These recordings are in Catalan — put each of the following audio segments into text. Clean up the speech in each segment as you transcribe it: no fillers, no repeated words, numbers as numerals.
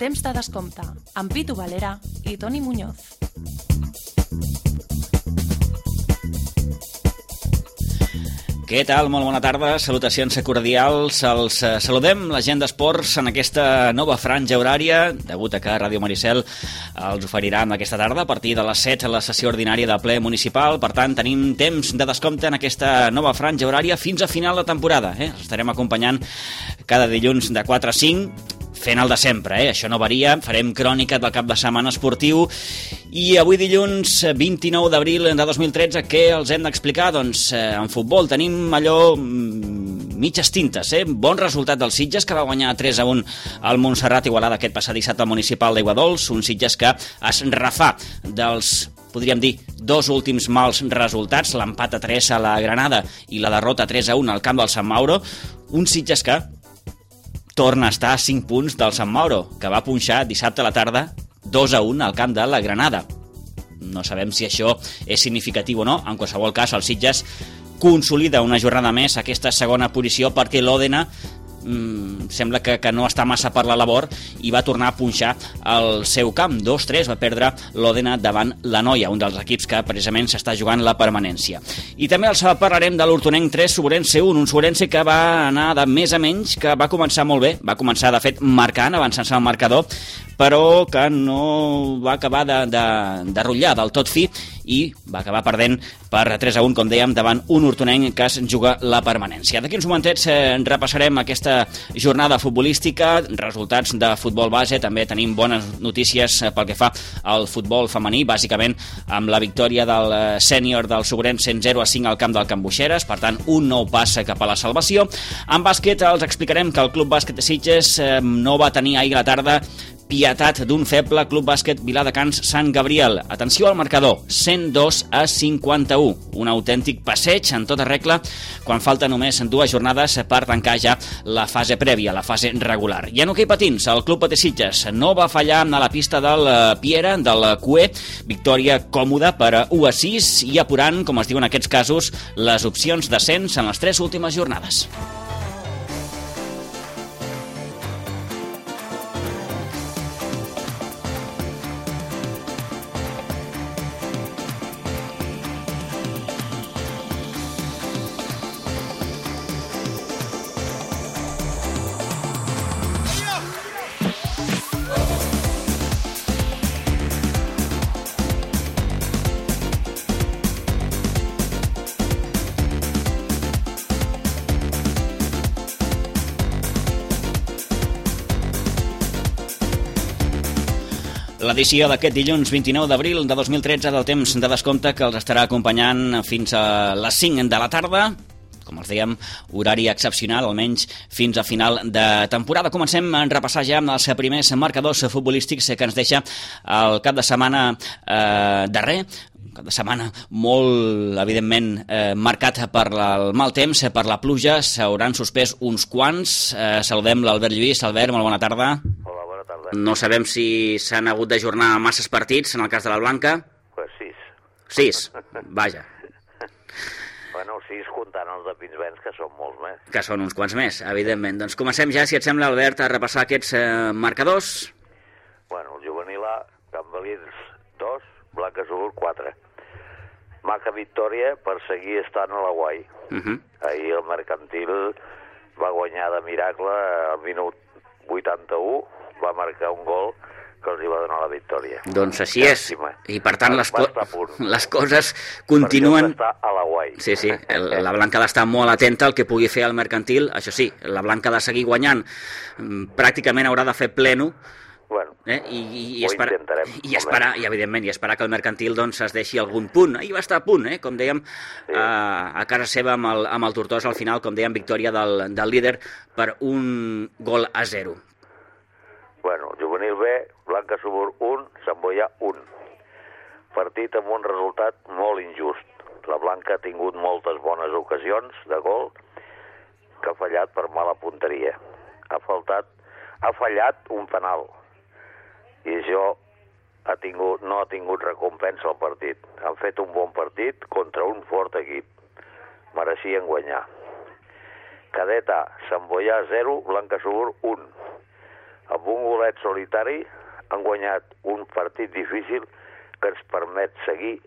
Temps de descompte, amb Pitu Valera i Toni Muñoz. Què tal? Molt bona tarda, salutacions cordials. Els saludem, la gent d'esports, en aquesta nova franja horària, degut a que Ràdio Maricel els oferirà aquesta tarda a partir de les 7 a la sessió ordinària de ple municipal. Per tant, tenim temps de descompte en aquesta nova franja horària fins a final de temporada. Els estarem acompanyant cada dilluns de 4 a 5, fent el de sempre, això no varia. Farem crònica del cap de setmana esportiu i avui dilluns 29 d'abril de 2013 què els hem d'explicar? Doncs en futbol tenim allò mitges tintes, bon resultat dels Sitges, que va guanyar 3-1 al Montserrat Igualada aquest passat dissabte al municipal d'Aiguadols, un Sitges que es refà dels, podríem dir, dos últims mals resultats, l'empat a 3 a la Granada i la derrota 3-1 al camp del Sant Mauro, un Sitges que torna a estar a 5 punts del Sant Mauro, que va punxar dissabte a la tarda 2-1 al camp de la Granada. No sabem si això és significatiu o no. En qualsevol cas, el Sitges consolida una jornada més aquesta segona posició perquè l'Òdena sembla que no està massa per la labor i va tornar a punxar al seu camp. 2-3 va perdre l'Òdena davant la Noia, un dels equips que precisament s'està jugant la permanència. I també els parlarem de l'Hortonenc 3, Soberense 1, un Soberense que va anar de més a menys, que va començar molt bé, va començar de fet marcant, avançant-se al marcador, però que no va acabar de rotllar del tot fi i va acabar perdent per 3-1, com dèiem, davant un Hortonenc que es juga la permanència. D'aquí uns momentets repassarem aquesta jornada futbolística, resultats de futbol base, també tenim bones notícies pel que fa al futbol femení, bàsicament amb la victòria del sènior del Soberense 0-5 al camp del Can Buixeres, per tant un nou pas cap a la salvació. En bàsquet els explicarem que el Club Bàsquet de Sitges no va tenir ahir a la tarda pietat d'un feble Club Bàsquet Viladecans Sant Gabriel. Atenció al marcador, 102-51. Un autèntic passeig en tota regla quan falta només 2 jornades per tancar ja la fase prèvia, la fase regular. I en hoquei patins, el Club Patí Sitges no va fallar a la pista del Piera, del Cué. Victòria còmoda per 1-6 i apurant, com es diu en aquests casos, les opcions d'ascens en les 3 últimes jornades. L'edició d'aquest dilluns 29 d'abril de 2013 del temps de descompte que els estarà acompanyant fins a les 5 de la tarda, com els dèiem, horari excepcional, almenys fins a final de temporada. Comencem a repassar ja amb els primers marcadors futbolístics que ens deixa el cap de setmana darrer, un cap de setmana molt, evidentment, marcat per el mal temps, per la pluja. S'hauran suspès uns quants. Saludem l'Albert Lluís. Albert, molt bona tarda. Hola, bona tarda. No sabem si s'han hagut d'ajornar masses partits, en el cas de la Blanca. Pues 6. 6, vaja. Bueno, 6 comptant els de Pinsbens, que són molts més. Que són uns quants més, evidentment. Doncs comencem ja, si et sembla, Albert, a repassar aquests marcadors. Bueno, el juvenil A, Cambalins 2, Blanca Subur 4. Maca victòria per seguir estant a la Guai. Ahir el Mercantil va guanyar de miracle al minut 81, va marcar un gol que els hi va donar la victòria. Doncs així és, i per tant les coses continuen... Perquè està a la Guai. Sí, la Blanca ha d'estar molt atenta al que pugui fer el Mercantil. Això sí, la Blanca ha de seguir guanyant, pràcticament haurà de fer pleno, bueno, i ho intentarem. I evidentment, esperar que el Mercantil doncs, es deixi algun punt. Ahir va estar a punt, com dèiem, sí. A casa seva amb el Tortosa, al final, com dèiem, victòria del líder per 1-0. Bueno, juvenil B, Blanca Subur 1, Sant Boià 1. Partit amb un resultat molt injust. La Blanca ha tingut moltes bones ocasions de gol que ha fallat per mala punteria. Ha fallat un penal i això no ha tingut recompensa al partit. Han fet un bon partit contra un fort equip. Mereixien guanyar. Cadet A, Sant Boià 0, Blanca Subur 1. Amb un golet solitari han guanyat un partit difícil que ens permet seguir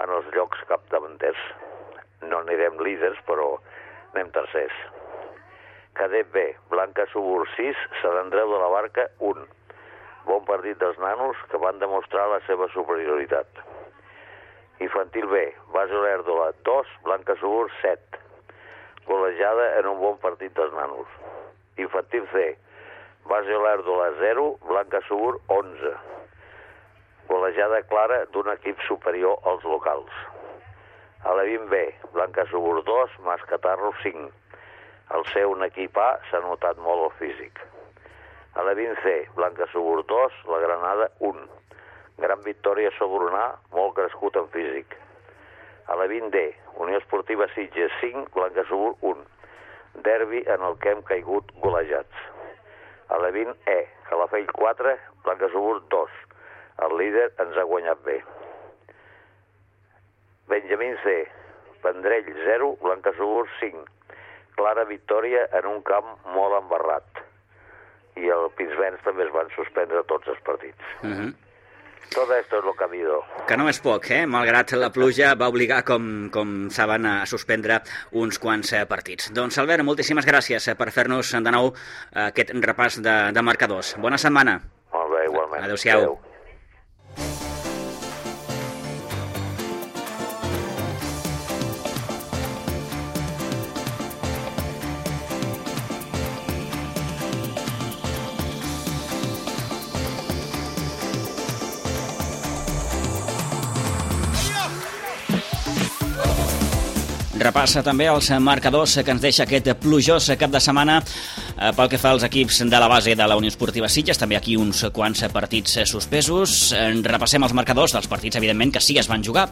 en els llocs capdavanters. No anirem líders, però anem tercers. Cadet B, Blanca Subur 6, Sant Andreu de la Barca 1. Bon partit dels nanos que van demostrar la seva superioritat. Infantil B, Base Olèrdola 2, Blanca Subur 7. Golejada en un bon partit dels nanos. Infantil C, Base Olèrdola 0, Blanca Subur 11. Golejada clara d'un equip superior als locals. A la 20B, Blanca Subur 2, Mascatarro 5. Al ser un equip A s'ha notat molt el físic. A la 20C, Blanca Subur 2, la Granada 1. Gran victòria sobre un A, molt crescut en físic. A la 20D, Unió Esportiva Sitges 5, Blanca Subur 1. Derbi en el que hem caigut golejats. A la 20E, Calafell 4, Blanca Subur 2. El líder ens ha guanyat bé. Benjamín C, Vendrell 0, Blanca Subur 5. Clara victòria en un camp molt embarrat. I el Pinsbens també es van suspendre tots els partits. Tot esto es lo que ha habido. Que no és poc, malgrat la pluja va obligar, com saben, a suspendre uns quants partits. Doncs, Albert, moltíssimes gràcies per fer-nos de nou aquest repàs de marcadors. Bona setmana. Molt bé, igualment. Adéu-siau. Adéu. Repassa també els marcadors que ens deixa aquest plujós cap de setmana pel que fa als equips de la base de la Unió Esportiva Sitges, també aquí uns quants partits suspesos. Repassem els marcadors dels partits, evidentment, que sí es van jugar.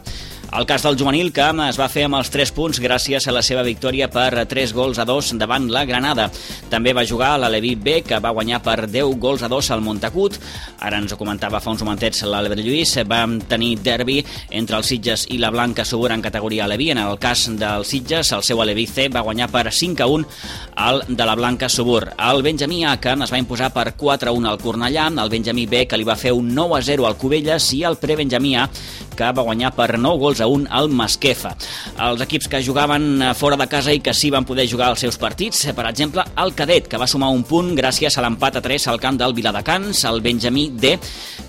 El cas del juvenil, que es va fer amb els 3 punts gràcies a la seva victòria per 3-2 davant la Granada. També va jugar l'Aleví B, que va guanyar per 10-2 al Montagut. Ara ens ho comentava fa uns momentets l'Albert Lluís. Vam tenir derbi entre el Sitges i la Blanca Subur en categoria Aleví. En el cas del Sitges, el seu Aleví C va guanyar per 5-1 al de la Blanca Subur. El Benjamí A, que es va imposar per 4-1 al Cornellà, el Benjamí B, que li va fer un 9-0 al Cubelles, i el Prebenjamí A, que va guanyar per 9-1 al Masquefa. Els equips que jugaven fora de casa i que sí van poder jugar els seus partits, per exemple, el Cadet, que va sumar un punt gràcies a l'empat a 3 al camp del Viladecans, el Benjamí D,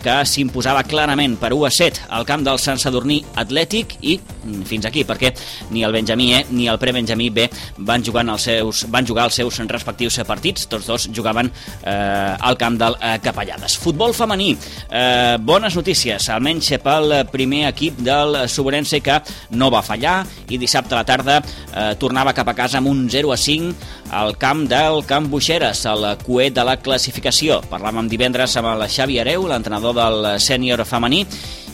que s'imposava clarament per 1-7 al camp del Sant Sadurní Atlètic, i fins aquí, perquè ni el Benjamí E ni el Prebenjamí B van jugar els seus respectius partits. Tots dos jugaven al camp del Capellades. Futbol femení, bones notícies, almenys pel primer equip del Suburense, que no va fallar i dissabte a la tarda tornava cap a casa amb un 0-5 al camp del Camp Buixeres, el coet de la classificació. Parlàvem divendres amb el Xavi Hereu, l'entrenador del sènior femení,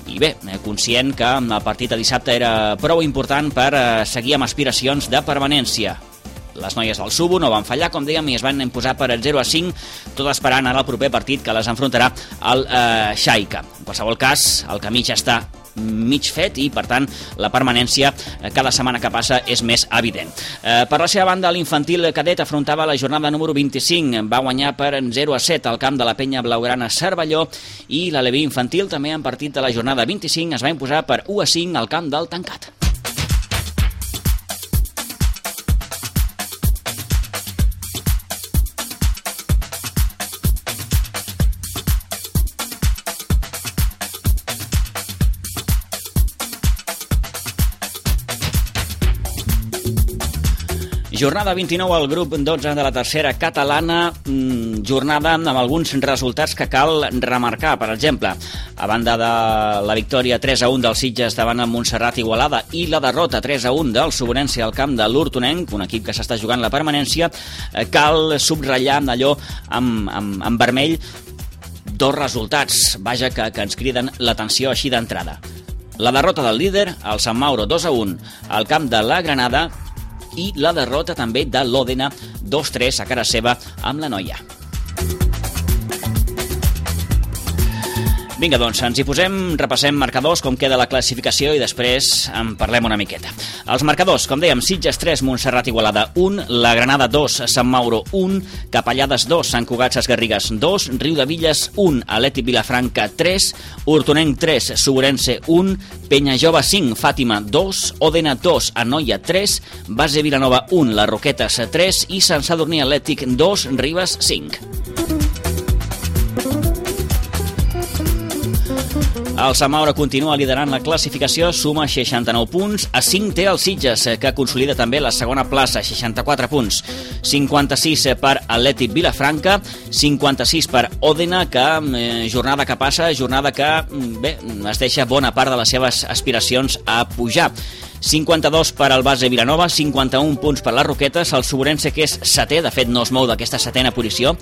i bé, conscient que el partit de dissabte era prou important per seguir amb aspiracions de permanència. Les noies del Subo no van fallar, com dèiem, i es van imposar per 0-5, tot esperant ara el proper partit que les enfrontarà al Xaica. En qualsevol cas, el camí ja està mig fet i, per tant, la permanència cada setmana que passa és més evident. Per la seva banda, l'infantil cadet afrontava la jornada número 25, va guanyar per 0-7 al camp de la Penya Blaugrana Cervelló, i l'Aleví infantil, també en partit de la jornada 25, es va imposar per 1-5 al camp del Tancat. Jornada 29 al grup 12 de la tercera catalana, jornada amb alguns resultats que cal remarcar. Per exemple, a banda de la victòria 3-1 del Sitges davant el Montserrat Igualada i la derrota 3-1 del Suburense al camp de l'Hortonenc, un equip que s'està jugant la permanència, cal subratllar allò en vermell dos resultats, vaja, que ens criden l'atenció així d'entrada. La derrota del líder, el Sant Mauro 2-1 al camp de la Granada, i la derrota també de l'Òdena 2-3 a cara seva amb la Noia. Vinga, doncs, ens hi posem, repassem marcadors, com queda la classificació i després en parlem una miqueta. Els marcadors, com dèiem, Sitges 3, Montserrat Igualada 1, La Granada 2, Sant Mauro 1, Capellades 2, Sant Cugat Sesgarrigues 2, Riudevilles 1, Atlètic Vilafranca 3, Hortonenc 3, Segurense 1, Penyajove 5, Fàtima 2, Òdena 2, Anoia 3, Base Vilanova 1, Les Roquetes 3 i Sant Sadurní Atlètic 2, Ribes 5. El Sant Mauro continua liderant la classificació, suma 69 punts, a 5 té el Sitges, que consolida també la segona plaça, 64 punts, 56 per Atlètic Vilafranca, 56 per Òdena, que jornada que passa, jornada que es deixa bona part de les seves aspiracions a pujar. 52 per al Base Vilanova, 51 punts per les Roquetes, el Segurense, que és setè, de fet no es mou d'aquesta setena posició,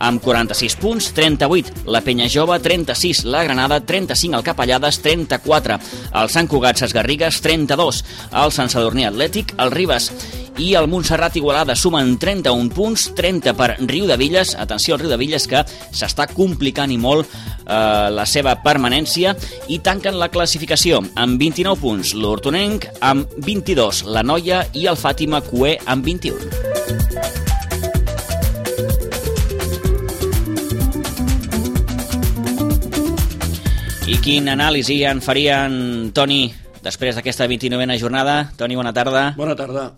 amb 46 punts, 38 la Penyajove, 36 la Granada, 35 el Capellades, 34 el Sant Cugat Sesgarrigues, 32 el Sant Sadurní Atlètic, el Ribes i el Montserrat Igualada sumen 31 punts, 30 per Riudevilles, atenció al Riudevilles que s'està complicant i molt la seva permanència, i tanquen la classificació amb 29 punts l'Hortonenc, amb 22 la Noia i el Fàtima Cué amb 21. I quin anàlisi en farien, Toni, després d'aquesta 29a jornada? Toni, bona tarda. Bona tarda.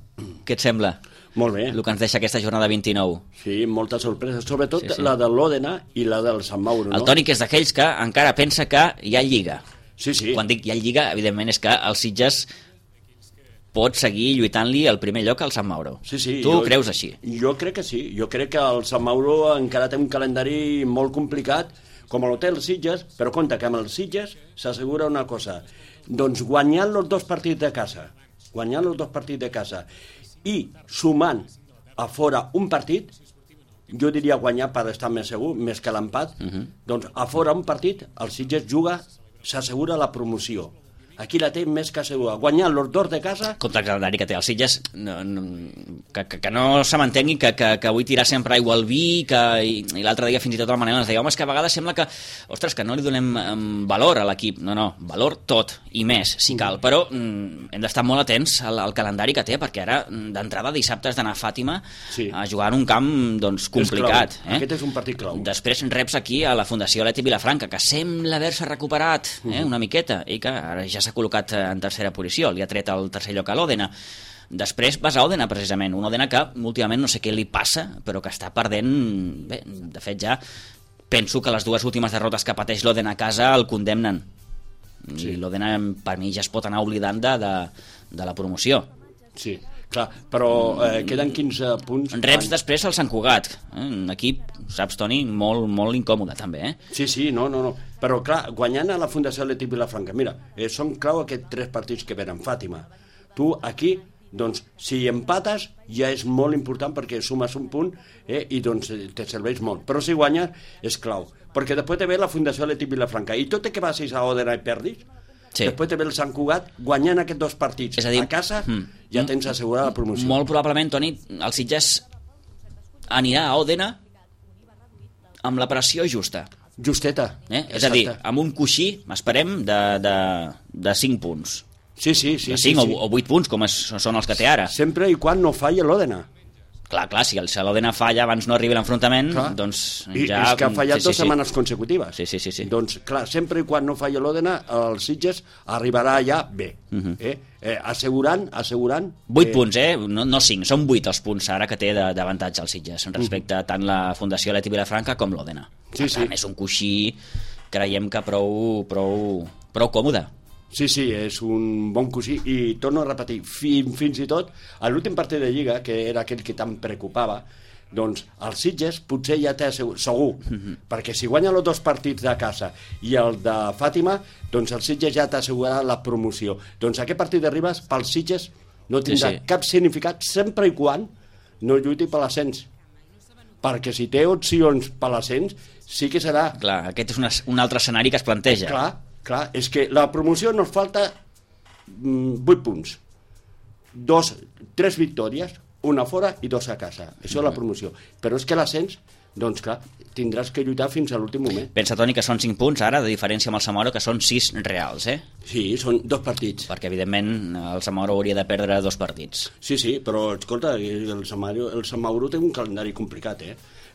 Què et sembla? Molt bé. El que ens deixa aquesta jornada 29. Sí, molta sorpresa, sobretot sí. La de l'Òdena i la del Sant Mauro. El Toni, que és d'aquells que encara pensa que hi ha lliga. Sí, sí. Quan dic hi ha lliga, evidentment és que el Sitges pot seguir lluitant-li el primer lloc al Sant Mauro. Sí, sí. Tu creus així? Jo crec que sí. Jo crec que el Sant Mauro encara té un calendari molt complicat, com l'hotel Sitges, però compte que amb el Sitges s'assegura una cosa. Doncs guanyant els dos partits de casa, i sumant a fora un partit, jo diria guanyar per estar més segur, més que l'empat, doncs a fora un partit, el Sitges juga, s'assegura la promoció. Aquí la té més que segura. Guanyant els dos de casa... Contra el calendari que té el Sitges, que no se m'entengui que vull tirar sempre aigua al vi, i l'altre dia fins i tot el Manel ens deia, home, és que a vegades sembla que, ostres, que no li donem valor a l'equip. No, valor tot, i més, si cal. Però hem d'estar molt atents al calendari que té, perquè ara, d'entrada, dissabte has d'anar a Fàtima a jugar en un camp doncs, complicat. Aquest és un partit clau. Després reps aquí a la Fundació Atlètic Vilafranca, que sembla haver-se recuperat una miqueta, i que ara ja s'ha col·locat en tercera posició, li ha tret el tercer lloc a l'Òdena. Després vas a Òdena, precisament, un Òdena que últimament no sé què li passa, però que està perdent... Bé, de fet ja penso que les dues últimes derrotes que pateix l'Òdena a casa el condemnen. Sí. I l'Òdena per mi ja es pot anar oblidant de la promoció. Sí, clar, però queden 15 punts... Reps després el Sant Cugat, un equip, saps, Toni, molt, molt incòmode també, Sí, no. Però clar, guanyant a la Fundació Atlètic Vilafranca, mira, són clau aquests 3 partits que venen, Fàtima. Tu aquí, doncs, si empates ja és molt important perquè sumes un punt i doncs te serveix molt. Però si guanyes és clau, perquè després te ve la Fundació Atlètic Vilafranca i tot i que vagis a Òdena i perdis, després te ve el Sant Cugat guanyant aquests 2 partits. És a dir, a casa ja tens assegurada la promoció. Molt probablement, Toni, el Sitges anirà a Òdena amb la pressió justa. Justeta. És a dir, amb un coixí, esperem, de 5 punts. Sí. De 5 o 8 punts, com són els que té ara. Sempre i quan no falli l'Òdena. Clar, si l'Òdena falla abans no arribi l'enfrontament, doncs ja... És que ha fallat 2 setmanes consecutives. Sí. Doncs, clar, sempre i quan no falli l'Òdena, el Sitges arribarà ja bé. Assegurant... 8 punts, no 5, són 8 els punts ara que té d'avantatge el Sitges respecte a tant la Fundació Atlètic Vilafranca com l'Òdena. Sí. És un coixí, creiem que prou còmode. Sí, és un bon coixí i torno a repetir, fins i tot a l'últim partit de Lliga, que era aquell que tant preocupava, doncs el Sitges potser ja té segur, perquè si guanya els 2 partits de casa i el de Fàtima, doncs el Sitges ja t'ha assegurat la promoció. Doncs aquest partit de Ribes pel Sitges no tindrà cap significat sempre i quan no lluiti per l'ascens, perquè si té opcions per l'ascens sí que serà... Clar, aquest és un altre escenari que es planteja. Clar, és que la promoció nos falta 8 punts. 3 victòries, una fora i 2 a casa. Això és la promoció. Però és que l'ascens doncs clar, tindràs que lluitar fins a l'últim moment. Pensa, Toni, que són 5 punts ara, de diferència amb el Samoro, que són 6 reals, Sí, són 2 partits. Perquè, evidentment, el Samoro hauria de perdre 2 partits. Sí, però, escolta, el Sant Mauro té un calendari complicat,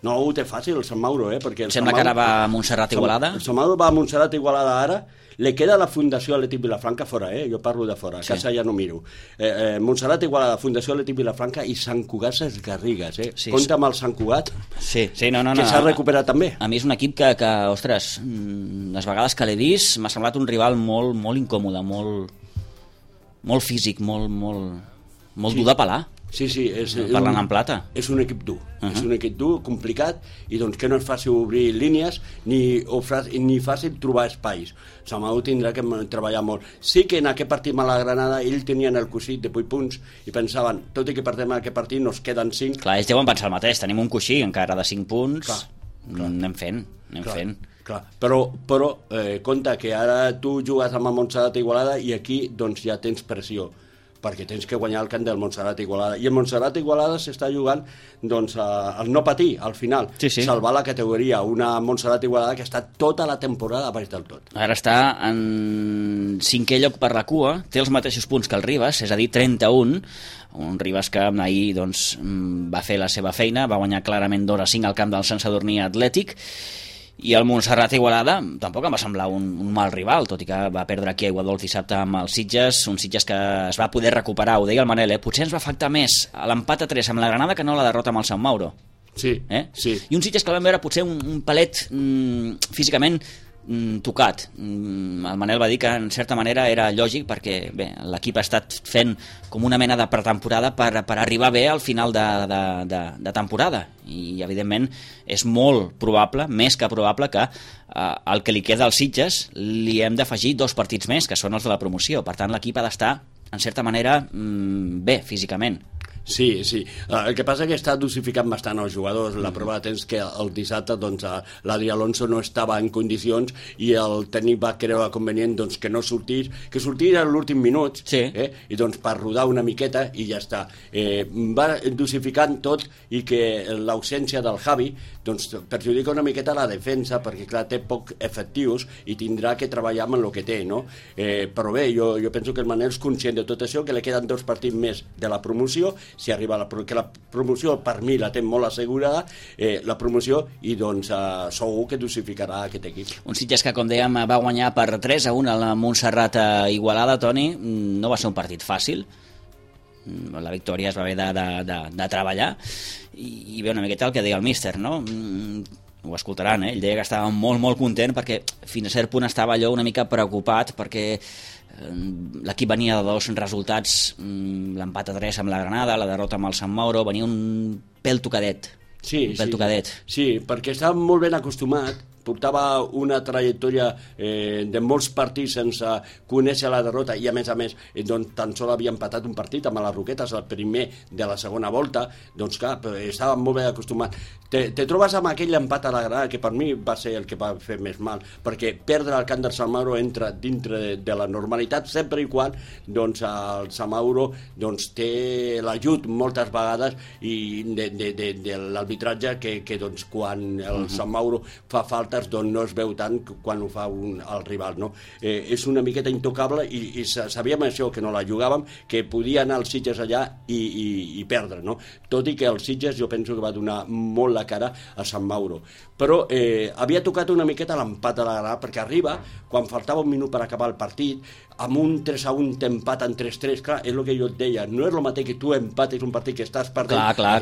No ho té fàcil, el Sant Mauro, perquè... Sembla que ara va a Montserrat Igualada. El Sant Mauro va a Montserrat Igualada ara, li queda la Fundació Atlètic Vilafranca fora, jo parlo de fora, a casa ja no miro. Montserrat Igualada, Fundació Atlètic Vilafranca i Sant Cugat Sesgarrigues, Sí, compta amb el Sant Cugat, sí, no. que s'ha recuperat també. A mi és un equip que ostres, les vegades que l'he vist m'ha semblat un rival molt, molt incòmode, molt físic, molt dur de pelar. Sí, parlant en plata. És un equip dur, és un equip dur, complicat, i doncs que no és fàcil obrir línies ni fàcil trobar espais. Samau tindrà que treballar molt. Sí que en aquest partit amb la Granada ells tenien el coixí de 8 punts i pensaven, tot i que perdem aquest partit nos queden 5. Clar, ells deuen pensar el mateix, tenim un coixí encara de 5 punts, clar. Anem fent. Clar. Però compte que ara tu jugues amb el Montserrat Igualada i aquí doncs ja tens pressió, perquè tens que guanyar el camp del Montserrat Igualada, i el Montserrat Igualada s'està jugant doncs, al no patir al final, salvar la categoria, una Montserrat Igualada que està tota la temporada a baix del tot. Ara està en 5è lloc per la cua, té els mateixos punts que el Ribas, és a dir, 31, un Ribas que ahir doncs, va fer la seva feina, va guanyar clarament 2-5 al camp del Sant Sadurní Atlètic, i el Montserrat Igualada tampoc em va semblar un mal rival, tot i que va perdre aquí a Aiguadols dissabte amb els Sitges, un Sitges que es va poder recuperar, ho deia el Manel, potser ens va afectar més l'empat a 3 amb la Granada que no la derrota amb el Sant Mauro. Sí. I un Sitges que el vam veure potser un palet físicament tocat. El Manel va dir que en certa manera era lògic perquè l'equip ha estat fent com una mena de pretemporada per arribar bé al final de temporada, i evidentment és molt probable, més que probable, que el que li queda als Sitges li hem d'afegir 2 partits més, que són els de la promoció. Per tant, l'equip ha d'estar en certa manera bé físicament. Sí. El que passa és que està dosificant bastant els jugadors. La prova de temps que el dissabte doncs, l'Adri Alonso no estava en condicions i el tècnic va creure convenient doncs, que no sortís, que sortís a l'últim minut, i doncs per rodar una miqueta i ja està. Va dosificant tot, i que l'ausència del Javi doncs, perjudica una miqueta la defensa, perquè clar, té poc efectius i tindrà que treballar amb el que té, no? Però bé, jo penso que el Manel és conscient de tot això, que li queden 2 partits més de la promoció, si arriba que la promoció per mi la té molt assegurada, la promoció, i doncs segur que dosificarà aquest equip. Un Sitges que, com dèiem, va guanyar per 3-1 a la Montserrat Igualada, Toni. No va ser un partit fàcil, la victòria es va haver de treballar, i bé, una miqueta el que deia el míster, no? Ho escoltaran, ell deia que estava molt content perquè fins a cert punt estava allò una mica preocupat perquè l'equip venia de 2 resultats, l'empat a 3 amb la Granada, la derrota amb el Sant Mauro, venia un pèl tocadet. Sí, perquè estava molt ben acostumat, portava una trajectòria de molts partits sense conèixer la derrota, i a més doncs, tan sols havia empatat un partit amb les Roquetes, el primer de la segona volta, doncs clar, estava molt ben acostumat. Te trobes amb aquell empat a la Granada, que per mi va ser el que va fer més mal, perquè perdre el camp del Sant Mauro entra dintre de la normalitat, sempre i quan doncs, el Sant Mauro doncs, té l'ajut moltes vegades i de l'arbitratge que doncs, quan el Sant Mauro fa faltes doncs no es veu tant quan ho fa el rival, no? És una miqueta intocable, i sabíem això, que no la jugàvem, que podia anar els Sitges allà i perdre, no? Tot i que els Sitges jo penso que va donar molt la cara a Sant Mauro, però havia tocat una miqueta l'empat a la Granada, perquè arriba quan faltava un minut per acabar el partit, amb un 3-1 t'empat en 3-3, clar, és el que jo et deia, no és el mateix que tu empatis un partit que estàs perdent, clar.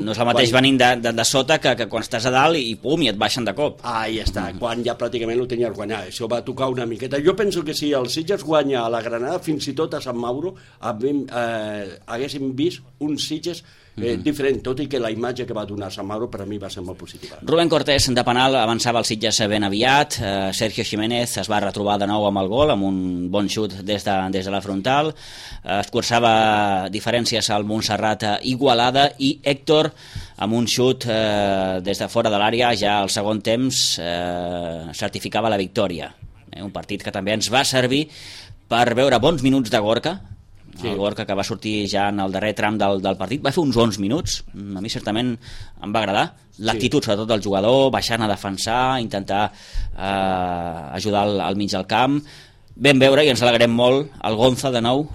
No és el mateix venint de sota que quan estàs a dalt i pum, i et baixen de cop. Ja està, quan ja pràcticament ho tenies guanyat. Això va tocar una miqueta. Jo penso que si el Sitges guanya a la Granada, fins i tot a Sant Mauro, haguéssim vist un Sitges diferent, tot i que la imatge que va donar Sant Mauro per a mi va ser molt positiva. Rubén Cortés, de penal, avançava el Sitges ben aviat. Sergio Jiménez es va retrobar de nou amb el gol, amb un bon xut des de la frontal. Escurçava diferències al Montserrat Igualada, i Héctor, amb un xut des de fora de l'àrea, ja al segon temps certificava la victòria. Un partit que també ens va servir per veure bons minuts de Gorka, el Gorka, que va sortir ja en el darrer tram del partit, va fer uns 11 minuts, a mi certament em va agradar, l'actitud sobretot del jugador, baixant a defensar, intentar ajudar al mig del camp. Vam veure, i ens alegrem molt, el Gonza de nou,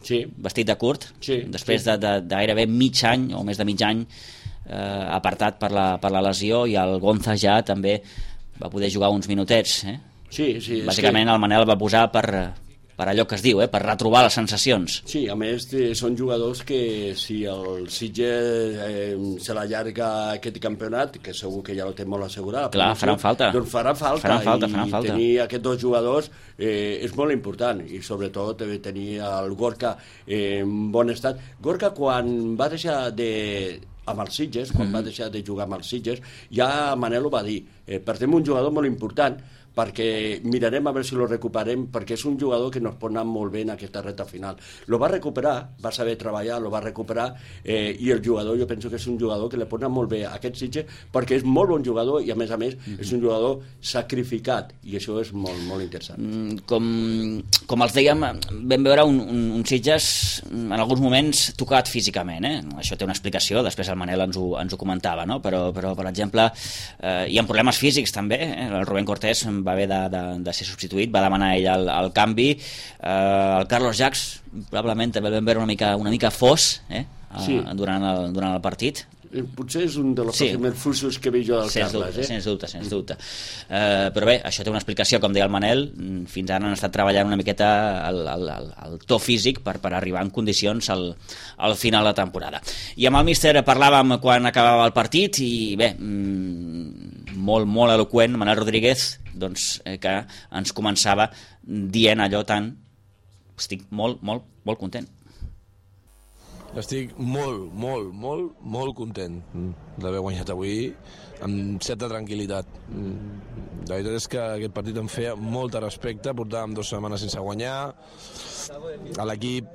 vestit de curt, després de gairebé mig any, o més de mig any, apartat per la lesió, i el Gonza ja també va poder jugar uns minutets. Bàsicament el Manel va posar per allò que es diu, per retrobar les sensacions. Sí, a més són jugadors que si el Sitges se l'allarga aquest campionat, que segur que ja ho té molt assegurat, clar, faran falta. Doncs faran falta. Tenir aquests dos jugadors és molt important, i sobretot tenir el Gorka en bon estat. Gorka, quan va deixar amb els Sitges, quan va deixar de jugar amb els Sitges, ja Manel ho va dir, perdem un jugador molt important, perquè mirarem a veure si lo recuperem, perquè és un jugador que nos pot anar molt bé en aquesta reta final. Lo va recuperar, va saber treballar, lo va recuperar, i el jugador, jo penso que és un jugador que li pot anar molt bé a aquest Sitges, perquè és molt bon jugador i a més és un jugador sacrificat, i això és molt, molt interessant. Com els dèiem, vam veure un Sitges en alguns moments tocat físicament, això té una explicació, després el Manel ens ho comentava, no? Però per exemple, hi ha problemes físics també, el Rubén Cortés va haver de ser substituït, va demanar ell el canvi, el Carlos Jacques probablement també el vam veure una mica fos durant el partit. Potser és un dels més fusos que veig jo del Carles. Sens dubte. Però bé, això té una explicació, com deia el Manel, fins ara han estat treballant una miqueta el to físic per arribar en condicions al final de temporada. I amb el míster parlàvem quan acabava el partit, i bé, molt, molt eloqüent, Manel Rodríguez, doncs, que ens començava dient allò tant: estic molt, molt, molt content. Estic molt content d'haver guanyat avui amb certa tranquil·litat. La veritat és que aquest partit em feia molt de respecte, portàvem 2 setmanes sense guanyar. A l'equip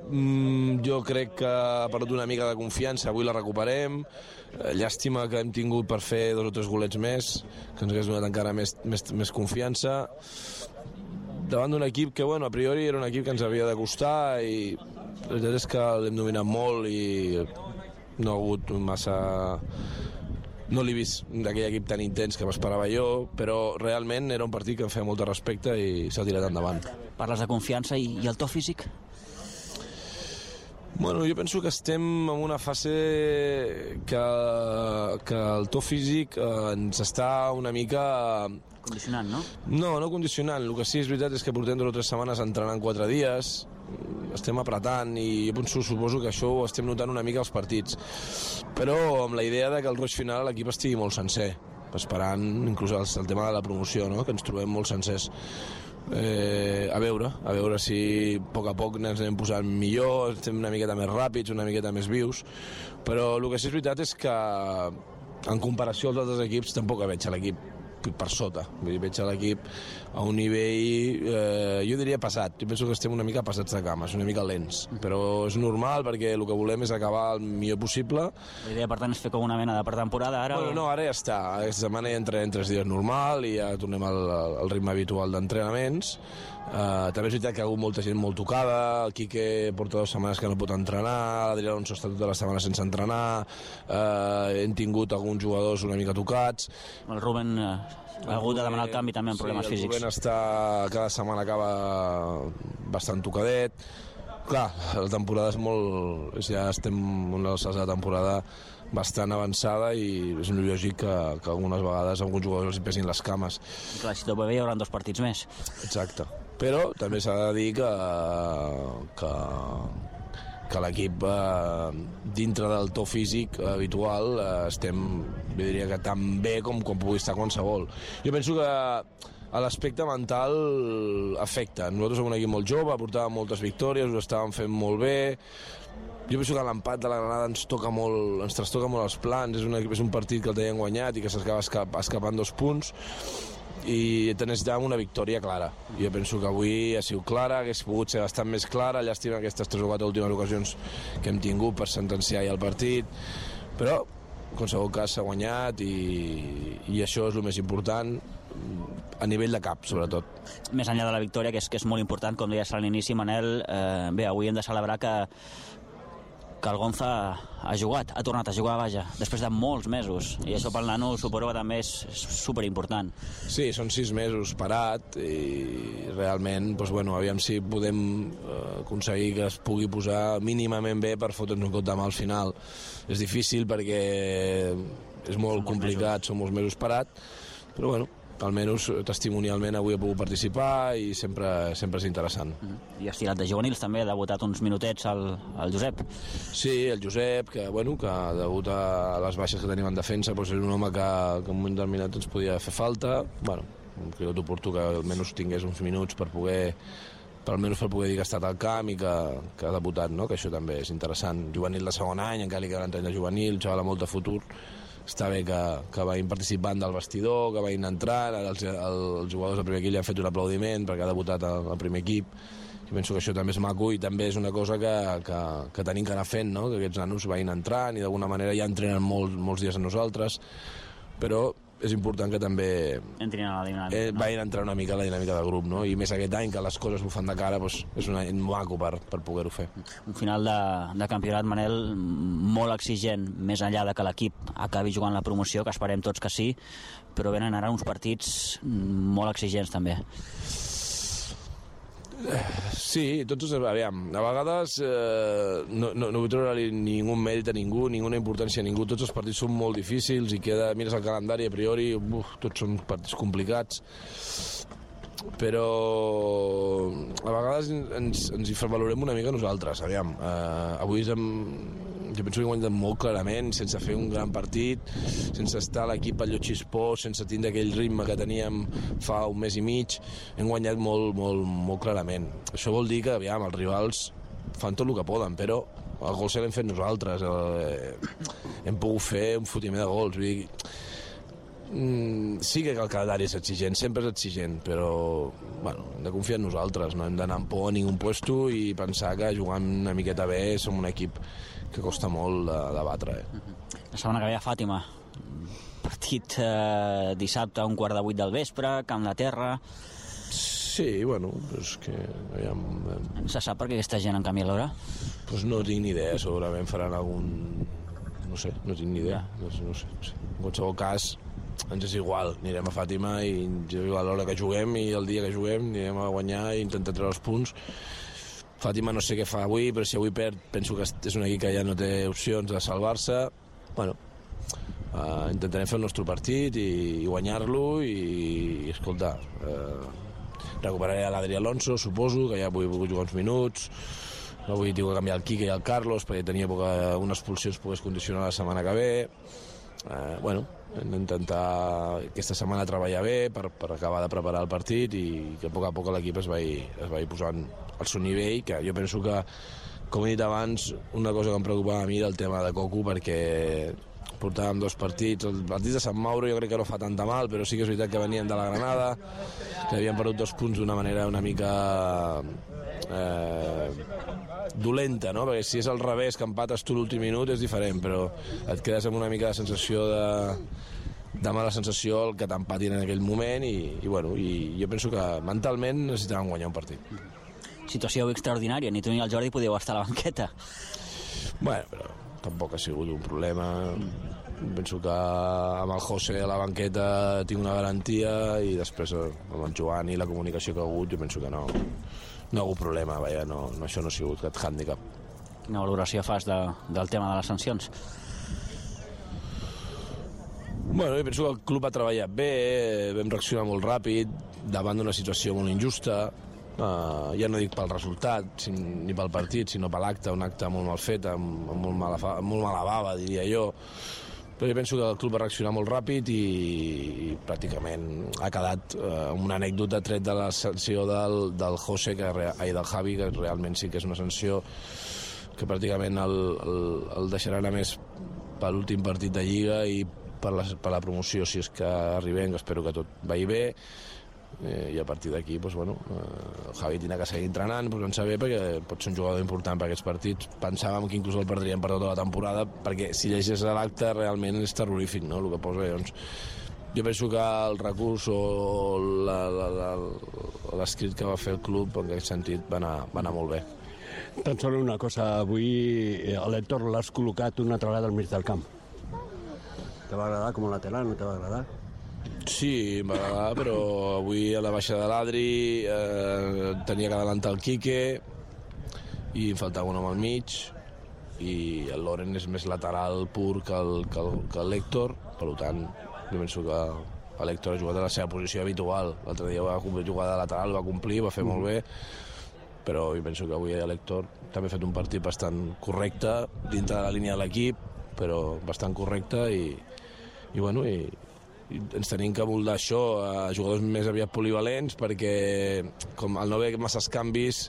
jo crec que ha perdut una mica de confiança, avui la recuperem. Llàstima que hem tingut per fer 2 o 3 golets més, que ens hagués donat encara més confiança davant d'un equip que, a priori era un equip que ens havia de costar, i la veritat és que l'hem dominat molt i no ha hagut massa... No l'he vist d'aquell equip tan intens que m'esperava jo, però realment era un partit que em feia molt de respecte i s'ha tirat endavant. Parles de confiança i el to físic? Jo penso que estem en una fase que el to físic ens està una mica... Condicionant, no? No condicionant. El que sí és veritat és que portem 2 o 3 setmanes entrenant 4 dies, estem apretant, i jo suposo que això ho estem notant una mica als partits. Però amb la idea de que el roig final l'equip estigui molt sencer, esperant inclús el tema de la promoció, no? Que ens trobem molt sencers. A veure si a poc ens anem posant millor, estem una miqueta més ràpids, una miqueta més vius, però el que sí és veritat és que en comparació als altres equips tampoc veig l'equip per sota. Veig l'equip a un nivell, jo diria passat. Jo penso que estem una mica passats de cames, una mica lents, però és normal perquè el que volem és acabar el millor possible. La idea, per tant, és fer com una mena de pretemporada ara? No, ara ja està. Aquesta setmana ja entrenem 3 dies normal i ja tornem al ritme habitual d'entrenaments. També és veritat que hi ha hagut molta gent molt tocada, el Quique porta 2 setmanes que no pot entrenar, l'Adrià Alonso està tota la setmana sense entrenar, hem tingut alguns jugadors una mica tocats. El Rubén ha hagut de demanar el canvi també amb problemes físics. El Rubén cada setmana acaba bastant tocadet. Clar, la temporada és molt... Ja estem en una alçada de temporada bastant avançada i és lògic que algunes vegades alguns jugadors els pesin les cames. Clar, si tot va bé hi haurà 2 partits més. Exacte. Però també s'ha de dir que l'equip dintre del to físic habitual estem, jo diria que tan bé com pugui estar qualsevol. Jo penso que l'aspecte mental afecta. Nosaltres som un equip molt jove, portàvem moltes victòries, ho estàvem fent molt bé. Jo penso que l'empat de la Granada ens trastoca molt els plans. És un partit que el teníem guanyat i que s'acaba escapant 2 punts i necessitàvem una victòria clara. Jo penso que avui ha sigut clara, hagués pogut ser bastant més clara, llàstima aquestes 3 o 4 últimes ocasions que hem tingut per sentenciar ja el partit, però en qualsevol cas s'ha guanyat i això és el més important. a nivell de cap, sobretot. Més enllà de la victòria, que és molt important, com deies a l'inici, Manel, bé, avui hem de celebrar que el Gonza ha jugat, ha tornat a jugar, vaja, després de molts mesos, i això pel nano suposo que també és superimportant. Sí, són 6 mesos parat i realment, doncs, bueno, aviam si podem aconseguir que es pugui posar mínimament bé per fotre'ns un cop de mà al final. És difícil perquè és molt complicat, són molts mesos parat, però bueno, almenys testimonialment avui he pogut participar i sempre és interessant. I has tirat de juvenils també, ha debutat uns minutets el Josep. Sí, el Josep, que degut a les baixes que tenim en defensa, doncs és un home que en un moment determinat ens podia fer falta. Bueno, crec oportú que almenys tingués uns minuts per poder dir que ha estat al camp i que ha debutat, no? Que això també és interessant. Juvenil de segon any, encara li queda l'any de juvenil, xaval amb molt de futur. Està bé que vagin participant del vestidor, que vagin entrant, els jugadors del primer equip li han fet un aplaudiment perquè ha debutat al primer equip. Jo penso que això també és maco i també és una cosa que tenim que anar fent, no? Que aquests nanos vagin entrant i d'alguna manera ja entrenen molts dies amb nosaltres, però és important que també entrin a la dinàmica, vagin a entrar una mica a la dinàmica del grup, no? I més aquest any que les coses bufen de cara, doncs és un any maco per poder-ho fer. Un final de campionat, Manel, molt exigent, més enllà de que l'equip acabi jugant la promoció, que esperem tots que sí, però venen ara uns partits molt exigents també. Sí, tots, aviam, a vegades no vull treure ningú mèrit a ningú, ninguna importància a ningú, tots els partits són molt difícils i mires el calendari a priori, tots són partits complicats, però a vegades ens hi valorem una mica nosaltres, aviam, avui jo penso que hem guanyat molt clarament, sense fer un gran partit, sense estar a l'equip al lloc xispós, sense tindre aquell ritme que teníem fa un mes i mig, hem guanyat molt clarament. Això vol dir que, aviam, els rivals fan tot el que poden, però el gol se l'hem fet nosaltres, hem pogut fer un fotiment de gols, vull dir, sí que el calendari és exigent, sempre és exigent, però bueno, hem de confiar en nosaltres, no hem d'anar amb por a ningú puesto i pensar que jugant una miqueta bé som un equip que costa molt de batre. La setmana que ve a Fàtima, partit dissabte a 7:15 del vespre, Camp de Terra. Sí, bueno, és que aviam, se sap per què aquesta gent en canvia l'hora? Doncs no tinc ni idea, segurament faran algun... no sé, no tinc ni idea, no sé. En qualsevol cas ens és igual, anirem a Fàtima i a l'hora que juguem i el dia que juguem anirem a guanyar i intentar treure els punts. Fàtima no sé què fa avui, però si avui perd penso que és un equip que ja no té opcions de salvar-se. Bueno, intentarem fer el nostre partit i guanyar-lo i escolta, recuperaré a l'Adri Alonso, suposo, que ja avui he pogut jugar uns minuts. Avui tinc que canviar el Quique i el Carlos perquè tenia por que una expulsió es pogués condicionar la setmana que ve. Bueno, hem d'intentar aquesta setmana treballar bé per acabar de preparar el partit i que a poc l'equip es vagi posant al seu nivell, que jo penso que, com he dit abans, una cosa que em preocupava a mi era el tema de Cocu, perquè portàvem 2 partits, el partit de Sant Mauro jo crec que no fa tanta mal, però sí que és veritat que venien de la Granada, que havien perdut 2 punts d'una manera una mica dolenta, no? Perquè si és al revés, que empates tu l'últim minut és diferent, però et quedes amb una mica de sensació de mala sensació el que t'empatin en aquell moment i jo penso que mentalment necessitàvem guanyar un partit. Situació extraordinària, ni tu ni el Jordi podíeu estar a la banqueta. Bueno, però tampoc ha sigut un problema. Penso que amb el José a la banqueta tinc una garantia i després amb el Joan i la comunicació que ha hagut jo penso que no ha hagut problema, vaja, això no ha sigut cap hàndicap. Quina valoració fas del tema de les sancions? Bueno, jo penso que el club ha treballat bé, vam reaccionar molt ràpid davant d'una situació molt injusta, ja no dic pel resultat ni pel partit, sinó per l'acte, un acte molt mal fet, amb molt mala bava, diria jo. Però jo penso que el club va reaccionar molt ràpid i pràcticament ha quedat una anècdota tret de la sanció del José, del Javi, que realment sí que és una sanció que pràcticament el deixarà anar més per l'últim partit de Lliga i per la promoció, si és que arribem, que espero que tot vagi bé. I a partir d'aquí el Javi tindrà que seguir entrenant, posant-se bé, perquè pot ser un jugador important per aquests partits. Pensàvem que inclús el perdríem per tota la temporada, perquè si llegeix l'acte realment és terrorífic, no? El que posa, doncs, jo penso que el recurs o l'escrit que va fer el club en aquest sentit va anar molt bé. Tan sols una cosa, avui a l'Hèctor l'has col·locat una altra vegada al mig del camp. Te va agradar com a lateral, no te va agradar? Sí, em va agradar, però avui a la baixa de l'Adri tenia que adelantar el Quique i em faltava un home al mig i el Loren és més lateral pur que l'Hèctor, per tant jo penso que l'Hèctor ha jugat a la seva posició habitual. L'altre dia va jugar de lateral, va complir, va fer molt bé, però jo penso que avui l'Hèctor també ha fet un partit bastant correcte dintre de la línia de l'equip, però bastant correcte i ens tenim que moldar això a jugadors més aviat polivalents perquè com al no haver masses canvis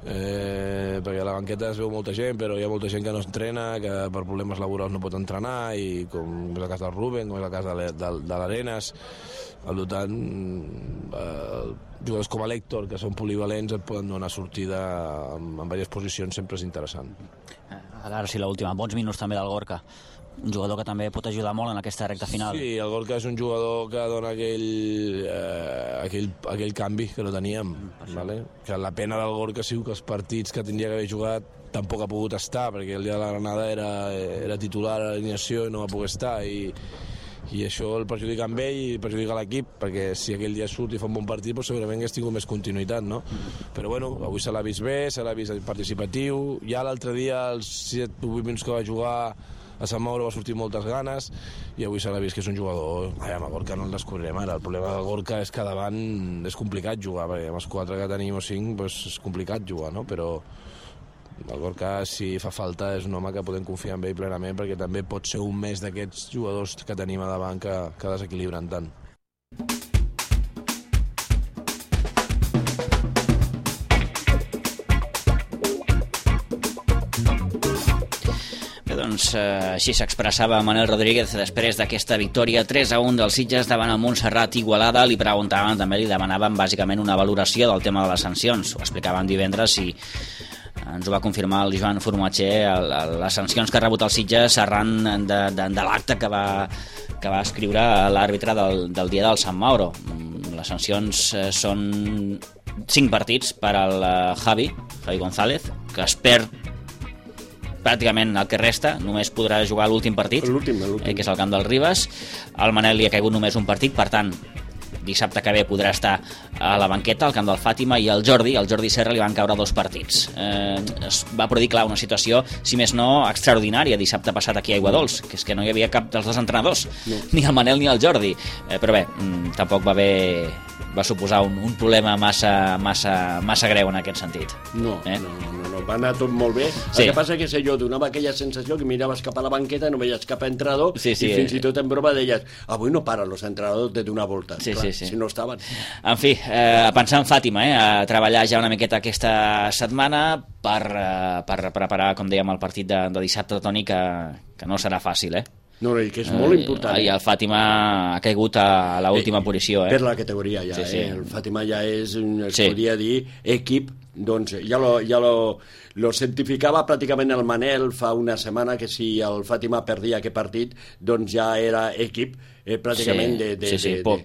perquè a la banqueta es veu molta gent però hi ha molta gent que no entrena, que per problemes laborals no pot entrenar i com és el cas del Rubén, com és el cas de l'Arenas, al tant jugadors com l'Hèctor que són polivalents et poden donar sortida en diverses posicions, sempre és interessant. Ara sí, l'última, bons minuts també del Gorka, un jugador que també pot ajudar molt en aquesta recta final. Sí, el Gorka és un jugador que dona aquell canvi que no teníem, vale? Que la pena del Gorka ha sigut que els partits que tindria que haver jugat tampoc ha pogut estar, perquè el dia de la Granada era titular a l'alineació i no va poder estar, i això el perjudica amb ell i perjudica l'equip, perquè si aquell dia surt i fa un bon partit, doncs segurament hagués tingut més continuïtat, no? Però bueno, avui se l'ha vist bé, se l'ha vist participatiu, ja l'altre dia, els 7 o 8 minuts que va jugar a Sant Mauro va sortir moltes ganes i avui s'ha vist que és un jugador... A Gorka no el descobrirem ara, el problema de Gorka és que davant és complicat jugar, perquè amb els 4 que tenim o 5 doncs és complicat jugar, no? Però el Gorka, si fa falta, és un home que podem confiar en ell plenament perquè també pot ser un més d'aquests jugadors que tenim a davant que desequilibren tant. Doncs així s'expressava Manel Rodríguez després d'aquesta victòria 3-1 dels Sitges davant el Montserrat Igualada. Li preguntaven, també li demanaven bàsicament una valoració del tema de les sancions. Ho explicaven divendres i ens ho va confirmar el Joan Formatger, les sancions que ha rebut els Sitges arran de l'acte que va escriure l'àrbitre del dia del Sant Mauro. Les sancions són 5 partits per al Javi González, que es perd pràcticament el que resta, només podrà jugar l'últim partit, que és el camp del Ribes. Al Manel li ha caigut només un partit, per tant dissabte que ve podrà estar a la banqueta al camp del Fàtima, i al Jordi Serra li van caure 2 partits. Es va produir, clar, una situació, si més no, extraordinària dissabte passat aquí a Aiguadols, que és que no hi havia cap dels 2 entrenadors, ni el Manel ni el Jordi, però bé, tampoc va suposar un problema massa greu en aquest sentit. No, va anar tot molt bé. Sí. El que passa és que jo donava aquella sensació que miraves cap a la banqueta, no veies cap entrenador, i fins i tot en broma deies, avui no paren els entrenadors de donar voltes. Sí. Si no estaven. En fi, a pensar en Fàtima, a treballar ja una miqueta aquesta setmana per preparar, com dèiem, el partit de dissabte, Toni, que no serà fàcil, No, i que és molt important. I el Fàtima ha caigut a l'última posició. Per la categoria ja, sí. El Fàtima ja és, podria dir, equip, doncs ja lo certificava pràcticament el Manel fa una setmana, que si el Fàtima perdia aquest partit, doncs ja era equip pràcticament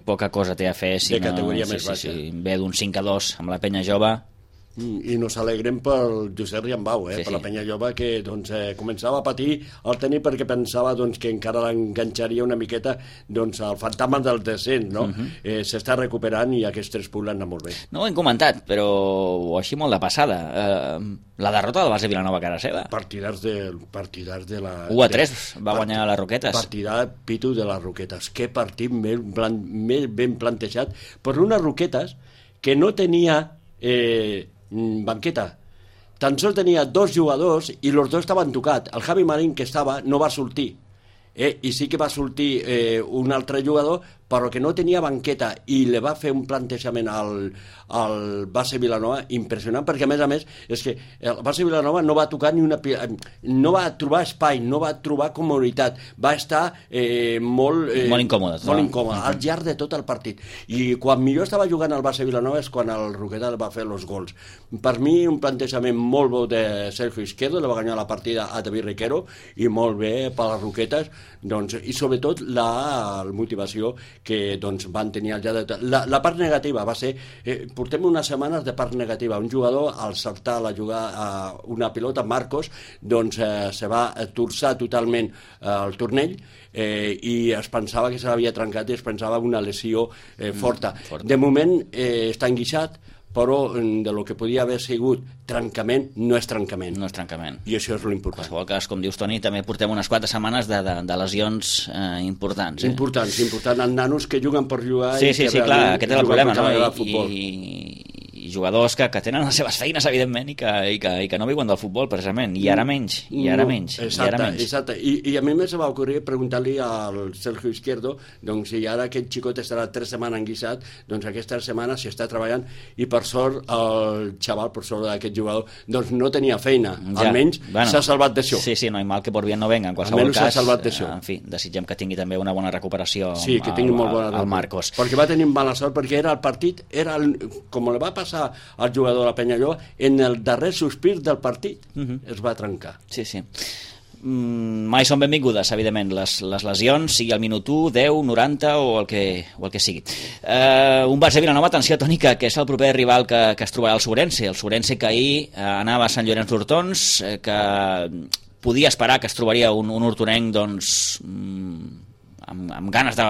poca cosa té a fer si de categoria més baixa. Ve d'un 5-2 amb la penya jove. I nos alegrem pel Josep Riambau, per la penya jove, que començava a patir el tenis perquè pensava que encara l'enganxaria una miqueta el fantasma del descens, no? S'està recuperant i aquests 3 punts l'han anat molt bé. No ho hem comentat, però així molt de passada. La derrota del Barça Vilanova a casa seva. Partidars de la... 1-3 va guanyar a les Roquetes. Partida pitu de les Roquetes. Que partit més ben plantejat per unes Roquetes que no tenia banqueta. Tan sols tenia 2 jugadors i els 2 estaven tocats. El Javi Marín, que estava, no va sortir. I sí que va sortir un altre jugador, però que no tenia banqueta, i li va fer un plantejament al Barça Vilanova impressionant, perquè a més és que el Barça Vilanova no va tocar no va trobar espai, no va trobar comoditat, va estar molt incòmode al llarg de tot el partit, i quan millor estava jugant el Barça Vilanova és quan el Roquetes va fer els gols. Per mi un plantejament molt bo de Sergio Izquierdo, le va guanyar la partida a David Riquero, i molt bé per les Roquetes, i sobretot la motivació que doncs, van tenir el llarg de... La part negativa va ser... portem unes setmanes de part negativa. Un jugador, al saltar a jugar a una pilota, Marcos, doncs se va torçar totalment el turnell i es pensava que se l'havia trencat i es pensava una lesió forta. De moment està enguixat, però de lo que podia haver sigut trencament, no és trencament. No és trencament. I això és l'important. En qualsevol cas, com dius, Toni, també portem unes 4 setmanes de lesions importants. Importants. Els nanos que juguen per jugar... Sí, clar, aquest és el problema, no? I jugadors que tenen les seves feines, evidentment, i que no viuen del futbol, precisament, i ara menys. Exacte. I a mi me se va ocorrir preguntar-li al Sergio Izquierdo, doncs, si ara aquest xicot estarà 3 setmanes enguixat, doncs aquesta setmana s'hi està treballant, i per sort el xaval, per sort d'aquest jugador, doncs no tenia feina, almenys s'ha salvat d'això. Sí, no hi mal que por bien no venga, en qualsevol cas. Almenys s'ha salvat d'això. En fi, desitgem que tingui també una bona recuperació al Marcos. Perquè va tenir mala sort, perquè era el partit, com li va passar al jugador de la Penyalló, en el darrer sospir del partit es va trencar. Sí. Mai són benvingudes, evidentment, les lesions, sigui al minut 1, 10, 90 o el que sigui. Un Barça Vilanova, atenció, Toni, que és el proper rival que es trobarà el Sobrense. El Sobrense que ahir anava a Sant Llorenç d'Hortons, que podia esperar que es trobaria un hortonenc, doncs... amb ganes de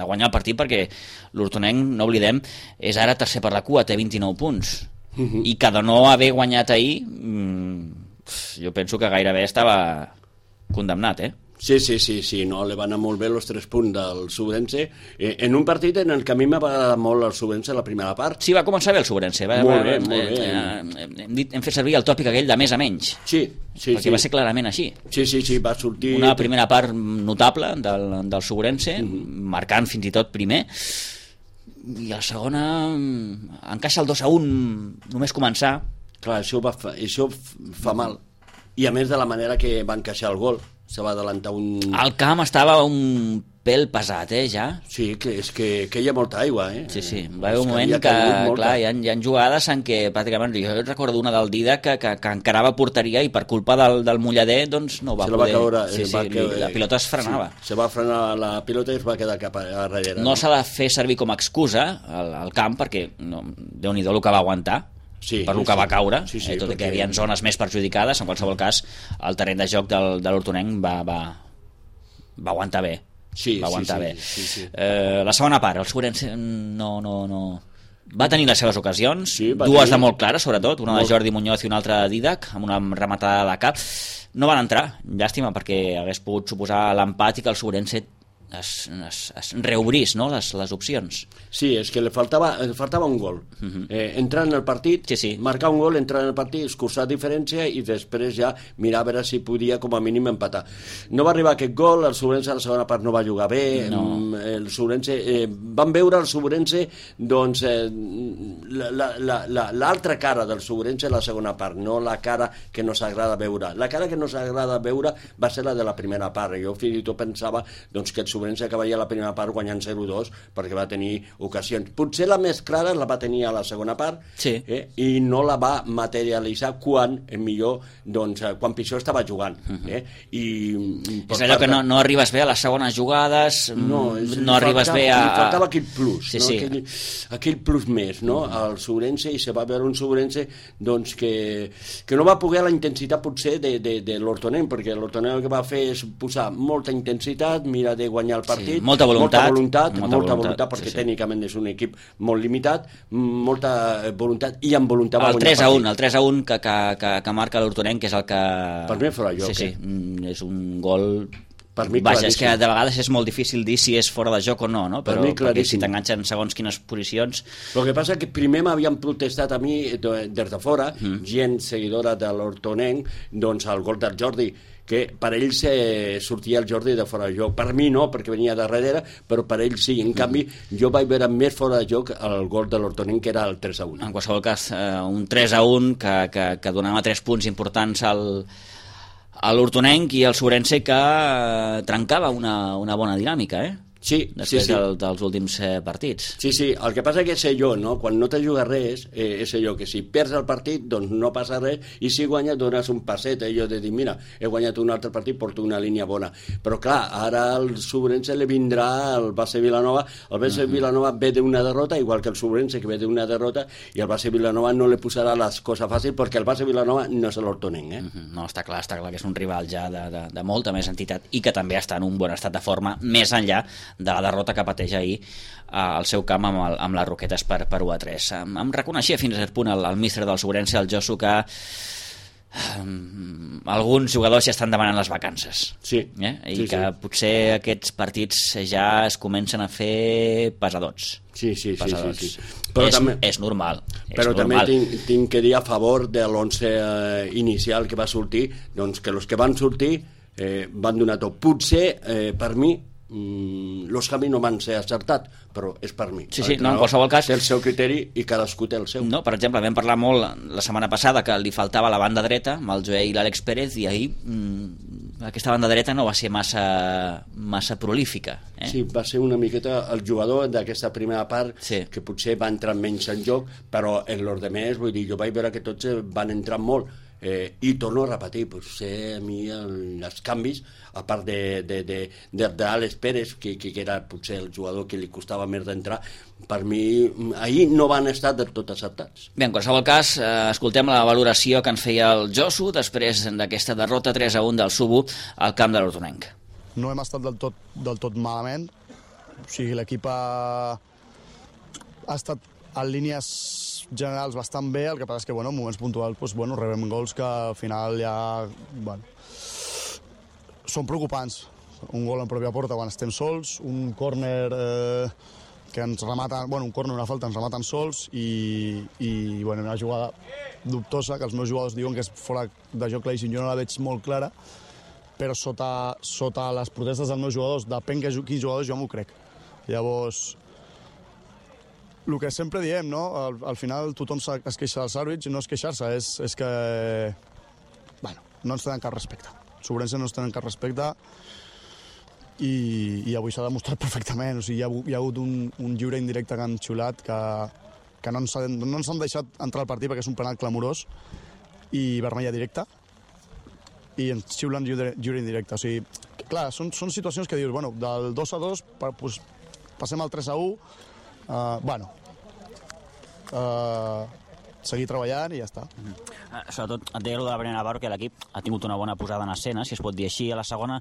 guanyar el partit, perquè l'hortonenc, no oblidem, és ara tercer per la cua, té 29 punts, i que de no haver guanyat ahir jo penso que gairebé estava condemnat, Sí, no, li van anar molt bé els 3 punts del Sobrense, en un partit en el que a mi m'ha agradat molt el Sobrense la primera part. Sí, va començar bé el Sobrense. Molt bé. Hem fet servir el tòpic aquell de més a menys. Sí. Perquè va ser clarament així. Sí, va sortir... Una primera part notable del Sobrense, marcant fins i tot primer, i la segona encaixa el 2-1 només començar. Clar, això fa mal. I a més de la manera que va encaixar el gol, se va adelantar un... El camp estava un pèl pesat, ja? Sí, que és que hi ha molta aigua, Sí, va haver un moment que clar, hi ha jugades en què pràcticament, jo recordo una del Dida que encarava porteria i per culpa del mullader doncs no va poder... La pilota es frenava. Se va frenar la pilota i es va quedar cap a darrere. No s'ha de fer servir com a excusa el camp, perquè Déu-n'hi-do el que va aguantar, per lo que va caure, tot i que hi havia zones més perjudicades. En qualsevol cas, el terreny de joc de l'hortonenc va aguantar bé. Va aguantar bé. La segona part, el Sobrense no va tenir les seves ocasions, dues de molt clares, sobretot, una de Jordi Muñoz i una altra de Didac, amb una rematada de cap. No van entrar, llàstima, perquè hagués pogut suposar l'empat i que el Sobrense es reobrís, no?, les opcions. Sí, és que li faltava un gol. Entrar en el partit, marcar un gol, entrar en el partit, escurçar diferència i després ja mirar a veure si podia com a mínim empatar. No va arribar aquest gol, el Sobrense a la segona part no va jugar bé, el Sobrense... Vam veure el Sobrense, doncs, l'altra cara del Sobrense a la segona part, no la cara que no s'agrada veure. La cara que no s'agrada veure va ser la de la primera part. Jo fins i tot pensava doncs, que el Sobrense acabaria la primera part guanyant 0-2 perquè va tenir ocasions. Potser la més clara la va tenir a la segona part i no la va materialitzar quan pitjor estava jugant. És allò que no arribes bé a les segones jugades, no arribes bé a... Li faltava aquell plus, aquell plus més, al Sobrense, i se va veure un Sobrense que no va poder la intensitat potser de l'hortonenc, perquè l'hortonenc el que va fer és posar molta intensitat, mira de guanyar el partit, molta voluntat, perquè tècnicament és un equip molt limitat, molta voluntat, i amb voluntat va guanyar el 3-1 que marca l'Hortonenc, que és el que... Per mi fora joc, és un gol... Vaja, és que de vegades és molt difícil dir si és fora de joc o no, però perquè si t'enganxen segons quines posicions... El que passa és que primer m'havien protestat a mi des de fora, gent seguidora de l'Hortonenc, doncs el gol del Jordi, que per ells sortia el Jordi de fora de joc. Per mi no, perquè venia de darrere, però per ells sí. En canvi, jo vaig veure més fora de joc el gol de l'Hortonenc, que era el 3-1. En qualsevol cas, un 3-1 que donava 3 punts importants a l'Hortonenc, i el Sobrense que trencava una bona dinàmica, Sí, després dels últims partits. Sí, el que passa que sé jo, no? Quan no te juga res, és allò que si perds el partit, doncs no passa res, i si guanyes dones un passet, allò de dir, mira, he guanyat un altre partit, porto una línia bona. Però clar, ara al Sobrense li vindrà el Base Vilanova, el Base Vilanova ve d'una derrota, igual que el Sobrense que ve d'una derrota, i el Base Vilanova no li posarà les coses fàcils, perquè el Base Vilanova no és l'Hortonenc, No, està clar que és un rival ja de molta més entitat i que també està en un bon estat de forma, més enllà de la derrota que pateix ahir al seu camp amb les Roquetes per 1-3. Em reconeixia fins a cert punt el míster del Sobrense, el Josu, que alguns jugadors ja estan demanant les vacances. Sí. Que potser aquests partits ja es comencen a fer pesadots. Sí. Però és normal. Però també tinc que dir a favor de l'11 inicial que va sortir, doncs que els que van sortir van donar tot. Potser, per mi, los canvis no van ser acertats, però és per mi. En qualsevol cas té el seu criteri i cadascú té el seu. No, per exemple, vam parlar molt la setmana passada que li faltava la banda dreta amb el Joel i l'Àlex Pérez, i ahir aquesta banda dreta no va ser massa prolífica. Sí, va ser una miqueta el jugador d'aquesta primera part que potser va entrar menys en joc, però en los demés, vull dir, jo vaig veure que tots van entrar molt. I torno a repetir, potser a mi els canvis, a part d'Àlex Pérez, que era potser el jugador que li costava més d'entrar, per mi ahir no van estar del tot acertats. Bé, en qualsevol cas, escoltem la valoració que ens feia el Josu després d'aquesta derrota 3-1 del Subu al camp de l'Hortonenc. No hem estat del tot malament, o sigui, l'equip ha estat en línies generals bastant bé, el que passa és que en moments puntuals rebem gols que al final ja són preocupants. Un gol en pròpia porta quan estem sols, un córner que ens rematen, un córner, una falta, ens rematen sols i una jugada dubtosa que els meus jugadors diuen que és fora de joc claríssim. Jo no la veig molt clara, però sota les protestes dels meus jugadors, depèn quins jugadors, jo m'ho crec. Llavors, el que sempre diem, no? Al final tothom es queixa dels àrbits i no és queixar-se, és que no ens tenen cap respecte. Sobrense no ens tenen cap respecte i avui s'ha demostrat perfectament. O sigui, hi ha hagut un lliure indirecte que han xiulat que no ens han deixat entrar al partit perquè és un penal clamorós i vermella directa i ens xiulen lliure indirecte. O sigui, clar, són situacions que dius, del 2-2 passem al 3-1, seguir treballant i ja està. Sobretot et deia de la primera part que l'equip ha tingut una bona posada en escena, si es pot dir així. A la segona,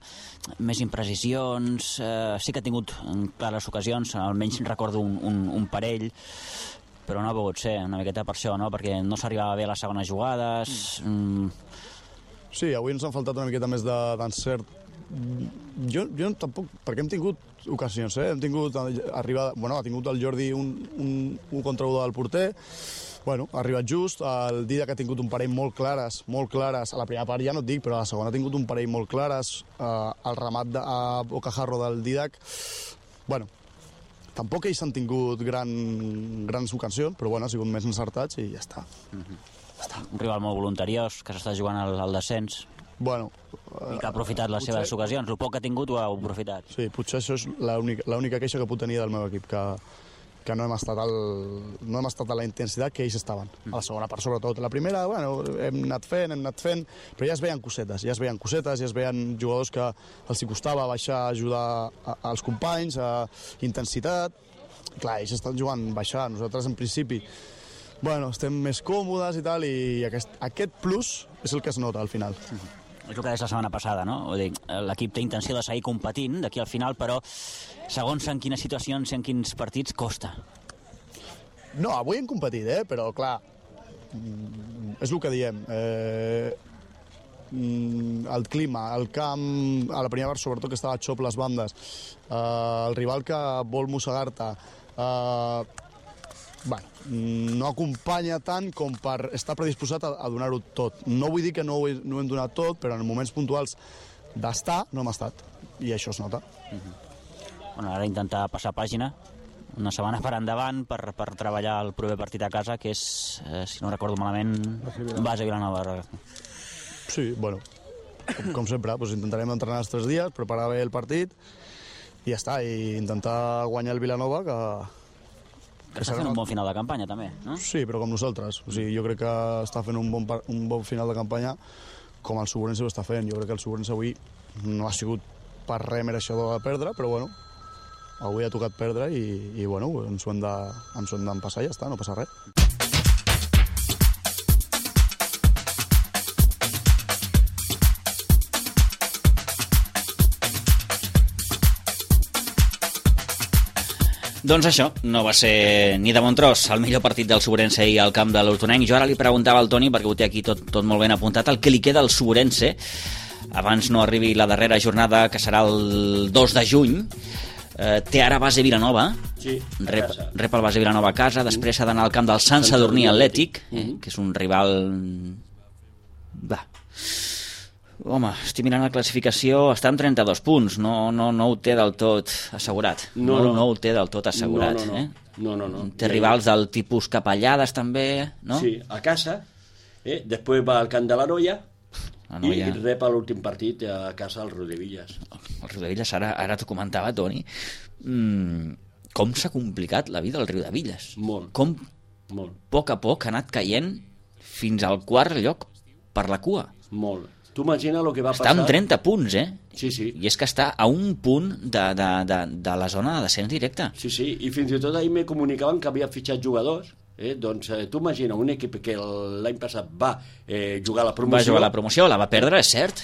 més imprecisions, sí que ha tingut clares ocasions, almenys recordo un parell, però no ha pogut ser una miqueta per això, no? Perquè no s'arribava bé a les segones jugades. Sí, avui ens han faltat una miqueta més d'encert. Jo tampoc, perquè hem tingut ocasions, hem tingut arribada, ha tingut el Jordi un contra 1 del porter, ha arribat just, el Didac ha tingut un parell molt clares, a la primera part ja no et dic, però a la segona ha tingut un parell molt clares, el remat a Bocajarro del Didac, tampoc ells han tingut grans ocasions, però ha sigut més encertats i ja està. Un rival molt voluntariós, que s'està jugant al descens. I que ha aprofitat les seves ocasions. El poc que ha tingut ho ha aprofitat. Sí, potser això és l'única queixa que puc tenir del meu equip, que no hem estat a la intensitat que ells estaven. A la segona part, sobretot. La primera, hem anat fent, però ja es veien cosetes, ja es veien jugadors que els hi costava baixar a ajudar als companys, a intensitat. Clar, ells estan jugant baixar. Nosaltres, en principi, estem més còmodes i tal, i aquest plus és el que es nota al final. És el que deies la setmana passada, no? L'equip té intenció de seguir competint d'aquí al final, però segons en quines situacions i en quins partits costa. No, avui hem competit, però clar, és el que diem. El clima, el camp, a la primera part sobretot que estava a xop les bandes, el rival que vol mossegar-te, no acompanya tant com per estar predisposat a donar-ho tot. No vull dir que no ho hem donat tot, però en moments puntuals d'estar no hem estat, i això es nota. Ara intentar passar pàgina, una setmana per endavant per treballar el proper partit a casa, que és, si no recordo malament, Base Vilanova. Sí, com sempre, intentarem entrenar els 3 dies, preparar bé el partit ja està, i intentar guanyar el Vilanova, que està fent un bon final de campanya també, no? Sí, però com nosaltres. O sigui, jo crec que està fent un bon final de campanya com el Suburense ho està fent. Jo crec que el Suburense avui no ha sigut per res mereixedor de perdre, però bueno, avui ha tocat perdre i bueno, ens ho hem d'empassar i ja està, no passa res. Doncs això, no va ser ni de bon tros el millor partit del Suburense i al camp de l'Hortonenc. Jo ara li preguntava al Toni, perquè ho té aquí tot molt ben apuntat, el que li queda al Suburense abans no arribi la darrera jornada, que serà el 2 de juny. Té ara base Vilanova, sí, rep el base Vilanova a casa, després ha d'anar al camp del Sant Sadurní Atlètic, que és un rival... Home, estic mirant la classificació, està amb 32 punts, no ho té del tot assegurat. No ho té del tot assegurat. No. Té rivals del tipus Capellades també, no? Sí, a casa, després va al camp de la Noia, i rep l'últim partit a casa al Riudevilles. El Riudevilles, ara t'ho comentava, Toni, com s'ha complicat la vida al Riudevilles. Molt. Com Molt. A poc ha anat caient fins al quart lloc per la cua. Molt. Tu imagina el que va passar... Està amb 30 punts, Sí. I és que està a un punt de la zona de descens directe. Sí, i fins i tot ahir me comunicaven que havia fitxat jugadors. Doncs tu imagina un equip que l'any passat va jugar a la promoció... Va jugar a la promoció, la va perdre, és cert.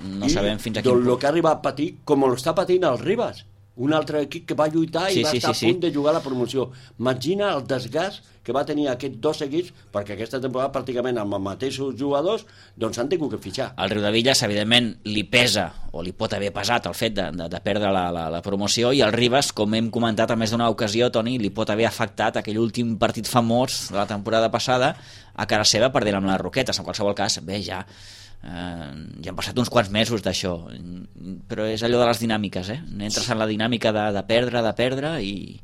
No sabem fins a quin punt. El que ha arribat a patir, com l'està patint el Ribas, un altre equip que va lluitar i va estar a punt de jugar a la promoció. Imagina el desgast que va tenir aquests dos equips, perquè aquesta temporada pràcticament amb els mateixos jugadors doncs han tingut que fitxar. Al Riudevilles, evidentment, li pesa o li pot haver pesat el fet de perdre la promoció, i al Ribas, com hem comentat a més d'una ocasió, Toni, li pot haver afectat aquell últim partit famós de la temporada passada a cara seva perdent amb les Roquetes. En qualsevol cas, bé, ja han passat uns quants mesos d'això, però és allò de les dinàmiques, entres en la dinàmica de perdre i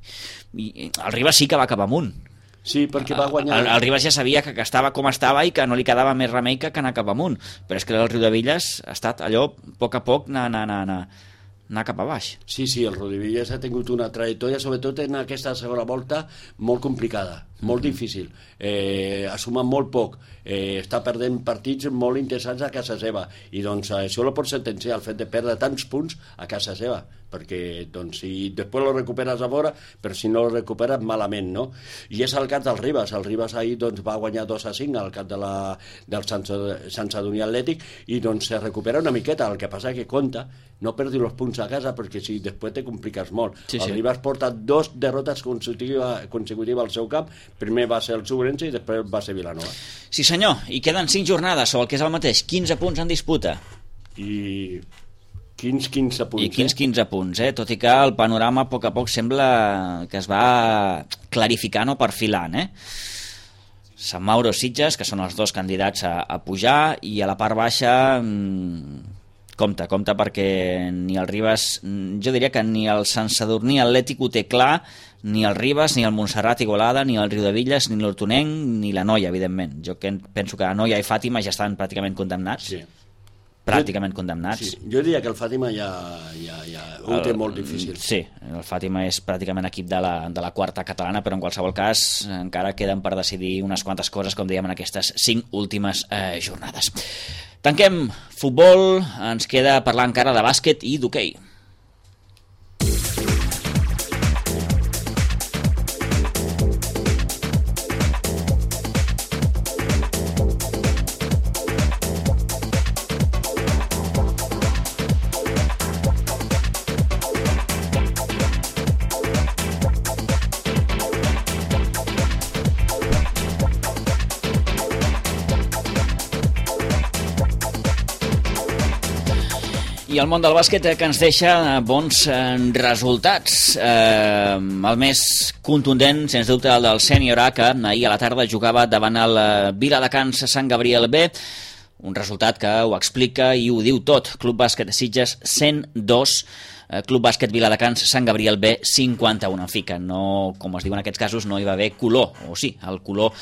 el Ribas sí que va cap amunt. Sí, perquè va guanyar... El Ribas ja sabia que estava com estava i que no li quedava més remei que anar cap amunt, però és que el Riudevilles ha estat allò, a poc anar cap a baix. Sí, el Riudevilles ha tingut una trajectòria, sobretot en aquesta segona volta, molt complicada, molt difícil. Ha sumat molt poc, està perdent partits molt interessants a casa seva, i doncs això lo pot sentenciar, el fet de perdre tants punts a casa seva, perquè doncs, si després lo recuperes a fora, però si no lo recuperes malament, no? I és el cas del Ribas. El Ribas ahir doncs, va guanyar 2-5 al cap del Sant Sadurní Atlètic, i doncs se recupera una miqueta. El que passa que compta no perdi els punts a casa, perquè si després te compliques molt. El Ribas porta 2 derrotes consecutives al seu camp. Primer va ser el Suburense i després va ser Vilanova. Sí senyor, i queden 5 jornades, o el que és el mateix, 15 punts en disputa. I 15 punts. I 15 punts, tot i que el panorama a poc sembla que es va clarificant o perfilant, Sant Mauro, Sitges, que són els dos candidats a pujar, i a la part baixa compte, perquè ni el Ribas, jo diria que ni el Sant Sadurní Atlètic ho té clar, ni el Ribas, ni el Montserrat Igualada, ni el Riudevilles, ni l'Hortonenc, ni la Noia, evidentment. Jo penso que la Noia i Fàtima ja estan pràcticament condemnats. Sí. Pràcticament condemnats. Sí. Jo diria que el Fàtima ja ho té molt difícil. Sí, el Fàtima és pràcticament equip de la quarta catalana, però en qualsevol cas encara queden per decidir unes quantes coses, com dèiem, en aquestes 5 últimes jornades. Tanquem futbol, ens queda parlar encara de bàsquet i d'hoquei. I el món del bàsquet que ens deixa bons resultats. El més contundent, sens dubte, el del Sènior A, que ahir a la tarda jugava davant el Viladecans Sant Gabriel B. Un resultat que ho explica i ho diu tot. Club Bàsquet Sitges 102, Club Bàsquet Viladecans Sant Gabriel B 51. En fi, que no, com es diu en aquests casos, no hi va haver color, o sí, el color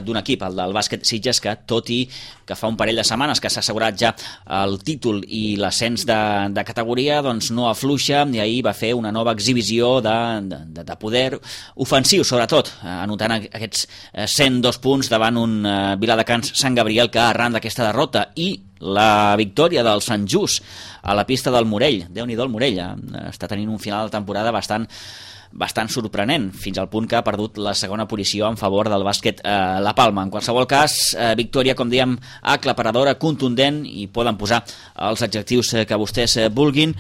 d'un equip, el del Bàsquet Sitges, que tot i que fa un parell de setmanes que s'ha assegurat ja el títol i l'ascens de categoria, doncs no afluixa, i ahir va fer una nova exhibició de poder ofensiu, sobretot, anotant aquests 102 punts davant un Viladecans Sant Gabriel que arran d'aquesta derrota i la victòria del Sant Just a la pista del Morell, Déu-n'hi-do el Morell, està tenint un final de temporada bastant sorprenent, fins al punt que ha perdut la segona posició en favor del bàsquet La Palma. En qualsevol cas, victòria, com dèiem, aclaparadora, contundent, i poden posar els adjectius que vostès vulguin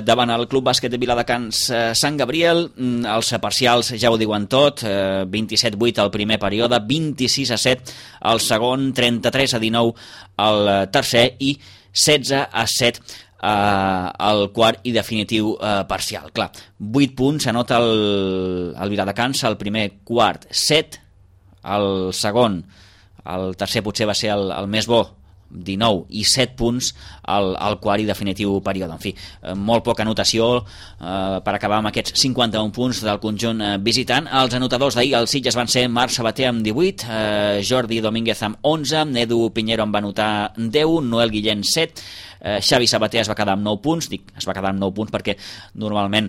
davant el Club Bàsquet de Viladecans Sant Gabriel. Els parcials ja ho diuen tot, 27-8 al primer període, 26-7 al segon, 33-19 al tercer i 16-7 el quart i definitiu parcial. Clar, 8 punts s'anota el Viladecans al primer quart, 7 al segon, el tercer potser va ser el més bo, 19, i 7 punts al quart i definitiu període. En fi, molt poca anotació per acabar amb aquests 51 punts del conjunt visitant. Els anotadors d'ahir, els Sitges, van ser Marc Sabater amb 18, Jordi Domínguez amb 11, Edu Piñero en va anotar 10, Noel Guillén 7, Xavi Sabater es va quedar amb 9 punts, es va quedar amb 9 punts perquè normalment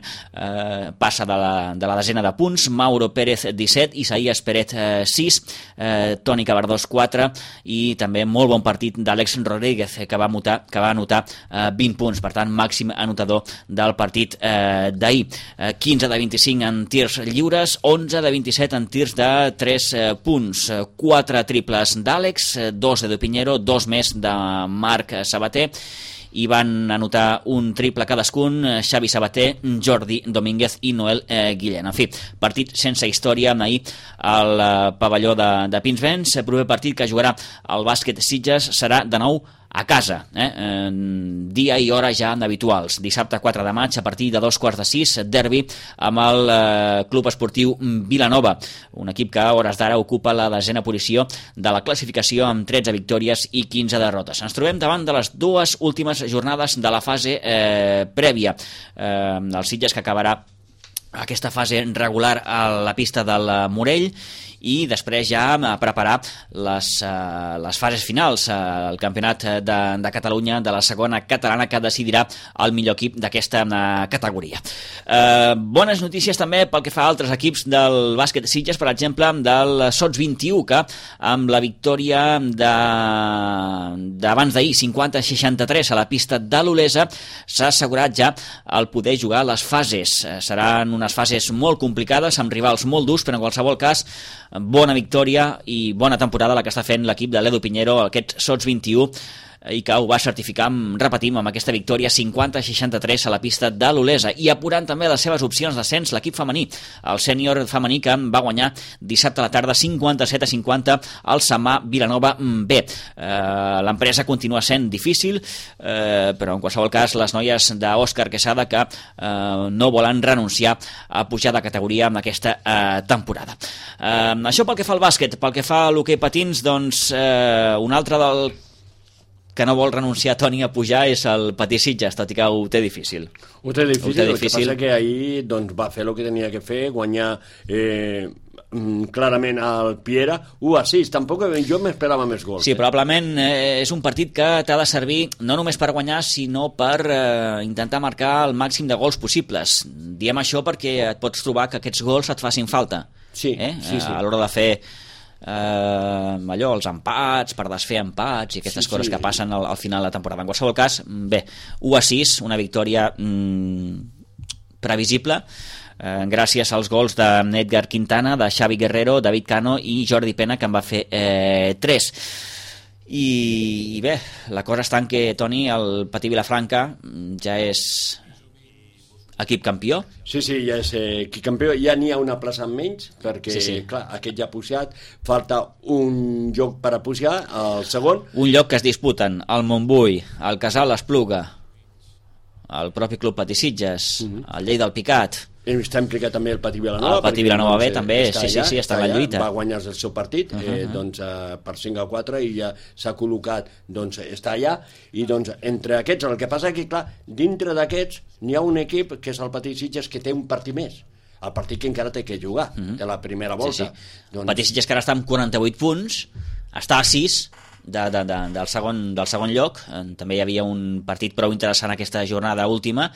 passa de la desena de punts, Mauro Pérez 17, Isaías Pérez 6, Toni Cabardós 4, i també molt bon partit d'Àlex Rodríguez, que va anotar 20 punts, per tant màxim anotador del partit d'ahir. 15 de 25 en tirs lliures, 11 de 27 en tirs de 3 punts, 4 triples d'Àlex, 2 de Piñero, 2 més de Marc Sabater, i van anotar un triple cadascun Xavi Sabater, Jordi Domínguez i Noel Guillén. En fi, partit sense història ahir al pavelló de Pinsbens. El proper partit que jugarà el Bàsquet Sitges serà de nou a casa, dia i hora ja habituals. Dissabte 4 de maig, a partir de 2:45, derbi amb el Club Esportiu Vilanova, un equip que a hores d'ara ocupa la desena posició de la classificació amb 13 victòries i 15 derrotes. Ens trobem davant de les dues últimes jornades de la fase prèvia. El Sitges, que acabarà aquesta fase regular a la pista del Morell, i després ja a preparar les fases finals, el campionat de Catalunya de la segona catalana, que decidirà el millor equip d'aquesta categoria. Bones notícies també pel que fa a altres equips del bàsquet Sitges, per exemple del Sots 21, que amb la victòria d'abans d'ahir, 50-63 a la pista de l'Olesa, s'ha assegurat ja el poder jugar les fases. Seran unes fases molt complicades, amb rivals molt durs, però en qualsevol cas bona victòria i bona temporada la que està fent l'equip de l'Edu Piñero, aquest Sots 21, i que ho va certificar, repetim, amb aquesta victòria 50-63 a la pista de l'Olesa, i apurant també les seves opcions d'ascens l'equip femení, el sènior femení, que va guanyar dissabte a la tarda 57-50 al Samà Vilanova B. L'empresa continua sent difícil, però en qualsevol cas les noies d'Òscar Quesada, que no volen renunciar a pujar de categoria en aquesta temporada. Això pel que fa al bàsquet. Pel que fa a l'hoquei patins, doncs un altre del que no vol renunciar, Toni, a pujar és el Patí Sitges, tot i que ho té difícil. Ho té difícil, el que passa que ahir doncs, va fer el que tenia que fer, guanyar clarament al Piera 1-6, tampoc jo m'esperava més gols. Sí, probablement és un partit que t'ha de servir no només per guanyar, sinó per intentar marcar el màxim de gols possibles. Diem això perquè et pots trobar que aquests gols et facin falta. Sí. A l'hora de fer allò, els empats, per desfer empats i aquestes coses que passen al final de la temporada. En qualsevol cas, bé, 1-6, una victòria previsible, gràcies als gols d'Edgar Quintana, de Xavi Guerrero, David Cano i Jordi Pena, que en va fer 3. I bé, la cosa està en que, Toni, el Patí Vilafranca ja és equip campió. Sí, ja és equip campió, ja n'hi ha una plaça menys, perquè, clar, aquest ja ha pujat, falta un lloc per a pujar, el segon. Un lloc que es disputen el Montbui, el Casal Espluga, el propi Club Patí Sitges, el Lleida del Picat, Està implicat també el Patí Vilanova. El Patí Vilanova B també, sí, està en la lluita. Va guanyar el seu partit per 5-4 i ja s'ha col·locat, doncs està allà, i doncs entre aquests, el que passa que, clar, dintre d'aquests n'hi ha un equip, que és el Patí Sitges, que té un partit més, el partit que encara té que jugar, de la primera volta. Doncs... Patí Sitges, que ara està amb 48 punts, està a 6 del segon lloc. També hi havia un partit prou interessant aquesta jornada última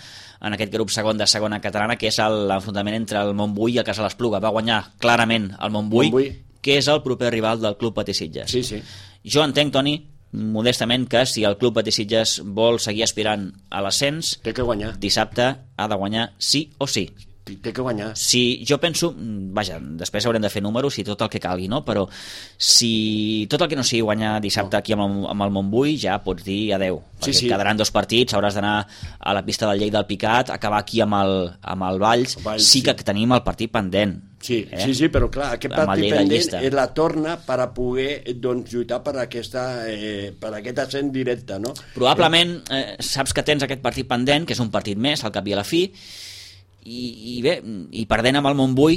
en aquest grup segon de segona catalana, que és l'enfrontament entre el Montbui i el Casal Espluga. Va guanyar clarament el Montbui, que és el proper rival del Club Patí Sitges. Sí. Jo entenc, Toni, modestament, que si el Club Patí Sitges vol seguir aspirant a l'ascens, té que guanyar. Dissabte ha de guanyar sí o sí. Té que guanyar. Si jo penso, vaja, després haurem de fer números i tot el que calgui, no? Però si tot el que no sigui guanyar dissabte aquí amb el Montbui, ja pots dir adeu, perquè quedaran 2 partits, hauràs d'anar a la pista del Lleida del Picat, acabar aquí amb el Valls, sí que tenim el partit pendent. Sí, però clar, aquest partit pendent la torna per a poder lluitar per aquest ascens directe, no? Probablement saps que tens aquest partit pendent, que és un partit més, al cap i a la fi, i bé, i perdent amb el Montbui,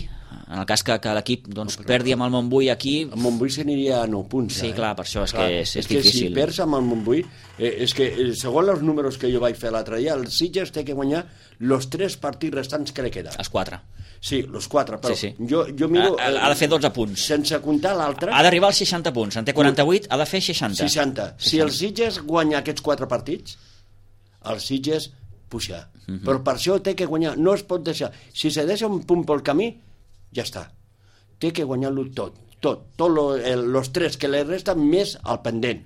en el cas que l'equip perdi amb el Montbui aquí... El Montbui s'aniria a 9 punts. Sí, clar, per això és difícil. És que si perds amb el Montbui, és que segons els números que jo vaig fer l'altre dia, el Sitges té que guanyar els 3 partits restants que li queden. Els 4. Sí, els 4, però jo miro... Ha de fer 12 punts. Sense comptar l'altre... Ha d'arribar als 60 punts, en té 48, ha de fer 60. 60. Si el Sitges guanya aquests 4 partits, el Sitges pujar. Però per això té que guanyar, no es pot deixar. Si se deixa un punt pel camí, ja està. Té que guanyar-lo tot els 3 que li resten més al pendent.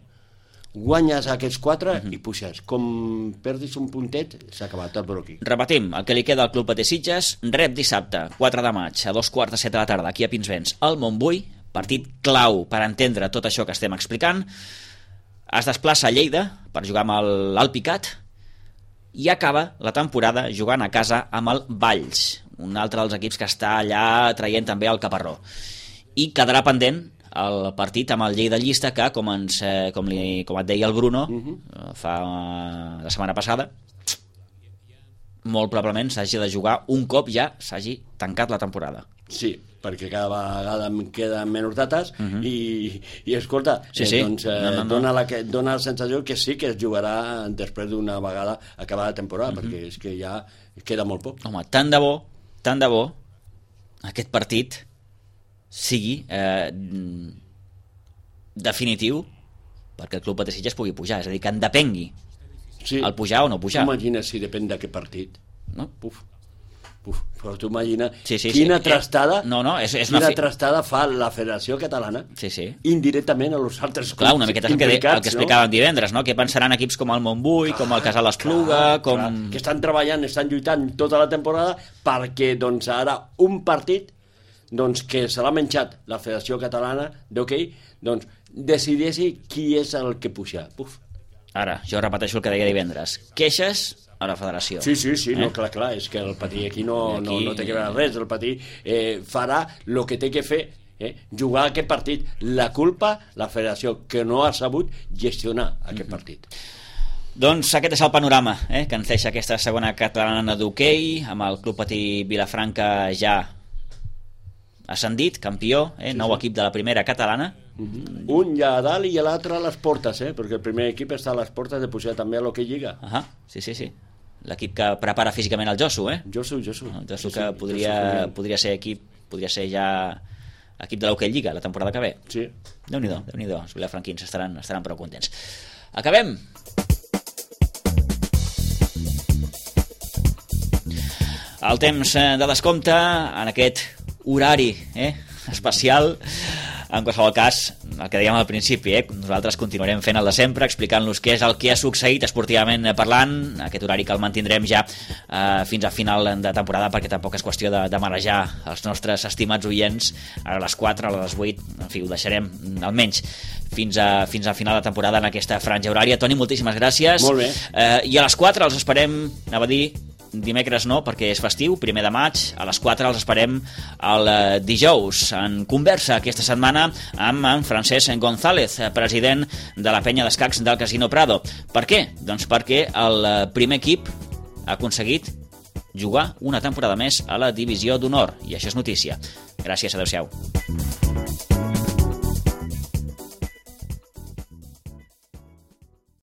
Guanyes aquests 4 i puges. Com perdis un puntet, s'ha acabat el broqui. Repetim, el que li queda al Club Patí Sitges, rep dissabte, 4 de maig, a 2:45 de la tarda, aquí a Pinsbens, al Montbui, partit clau per entendre tot això que estem explicant. Es desplaça a Lleida per jugar amb l'Alpicat, i acaba la temporada jugant a casa amb el Valls, un altre dels equips que està allà traient també el caparró. I quedarà pendent el partit amb el Lleida Llista, que, com et deia el Bruno la setmana passada, molt probablement s'hagi de jugar un cop ja s'hagi tancat la temporada. Sí, perquè cada vegada em queden menys dates i escolta, dona la sensació que sí que es jugarà després d'una vegada acabada la temporada, perquè és que ja queda molt poc. Home, tant de bo aquest partit sigui definitiu perquè el Club Patí Sitges pugui pujar, és a dir, que en depengui el pujar o no pujar. Imagina si depèn d'aquest partit, no? Però tu imagina quina trastada trastada fa la Federació Catalana indirectament a los altres clubs. Clar, una miqueta el que explicàvem divendres, no? Què pensaran equips com el Montbui, com el Casal Espluga, que estan treballant, estan lluitant tota la temporada perquè ara un partit que se l'ha menjat la Federació Catalana d'hoquei decideixi qui és el que puja. Ara, jo repeteixo el que deia divendres. Queixes a la federació. Sí, no, clar, és que el Patí aquí no té que veure res, el Patí farà el que té que fer, jugar aquest partit. La culpa, la federació, que no ha sabut gestionar aquest partit. Doncs aquest és el panorama que ens deixa aquesta segona catalana d'hoquei, amb el Club Patí Vilafranca ja ascendit, campió, nou equip de la primera catalana. Un ja a dalt i l'altre a les portes, perquè el primer equip està a les portes de pujar també a l'hoquei Lliga. Sí. L'equip que prepara físicament el Josu, Josu. El Josu que podria ser equip, podria ser ja equip de l'hoquei Lliga la temporada que ve. Sí. Déu-n'hi-do, els vilafranquins estaran prou contents. Acabem. El temps de descompte en aquest horari especial. En qualsevol cas, el que dèiem al principi, nosaltres continuarem fent el de sempre, explicant-los què és el que ha succeït esportivament parlant, aquest horari que el mantindrem ja fins a final de temporada, perquè tampoc és qüestió de marejar els nostres estimats oients a les 4, a les 8, en fi, ho deixarem almenys fins a final de temporada en aquesta franja horària. Toni, moltíssimes gràcies. Molt bé. I a les 4 els esperem, anava a dir, dimecres no, perquè és festiu, 1 de maig, a les 4 els esperem el dijous, en conversa aquesta setmana amb en Francesc González, president de la penya d'escacs del Casino Prado. Per què? Doncs perquè el primer equip ha aconseguit jugar una temporada més a la divisió d'honor, i això és notícia. Gràcies, adeu-siau.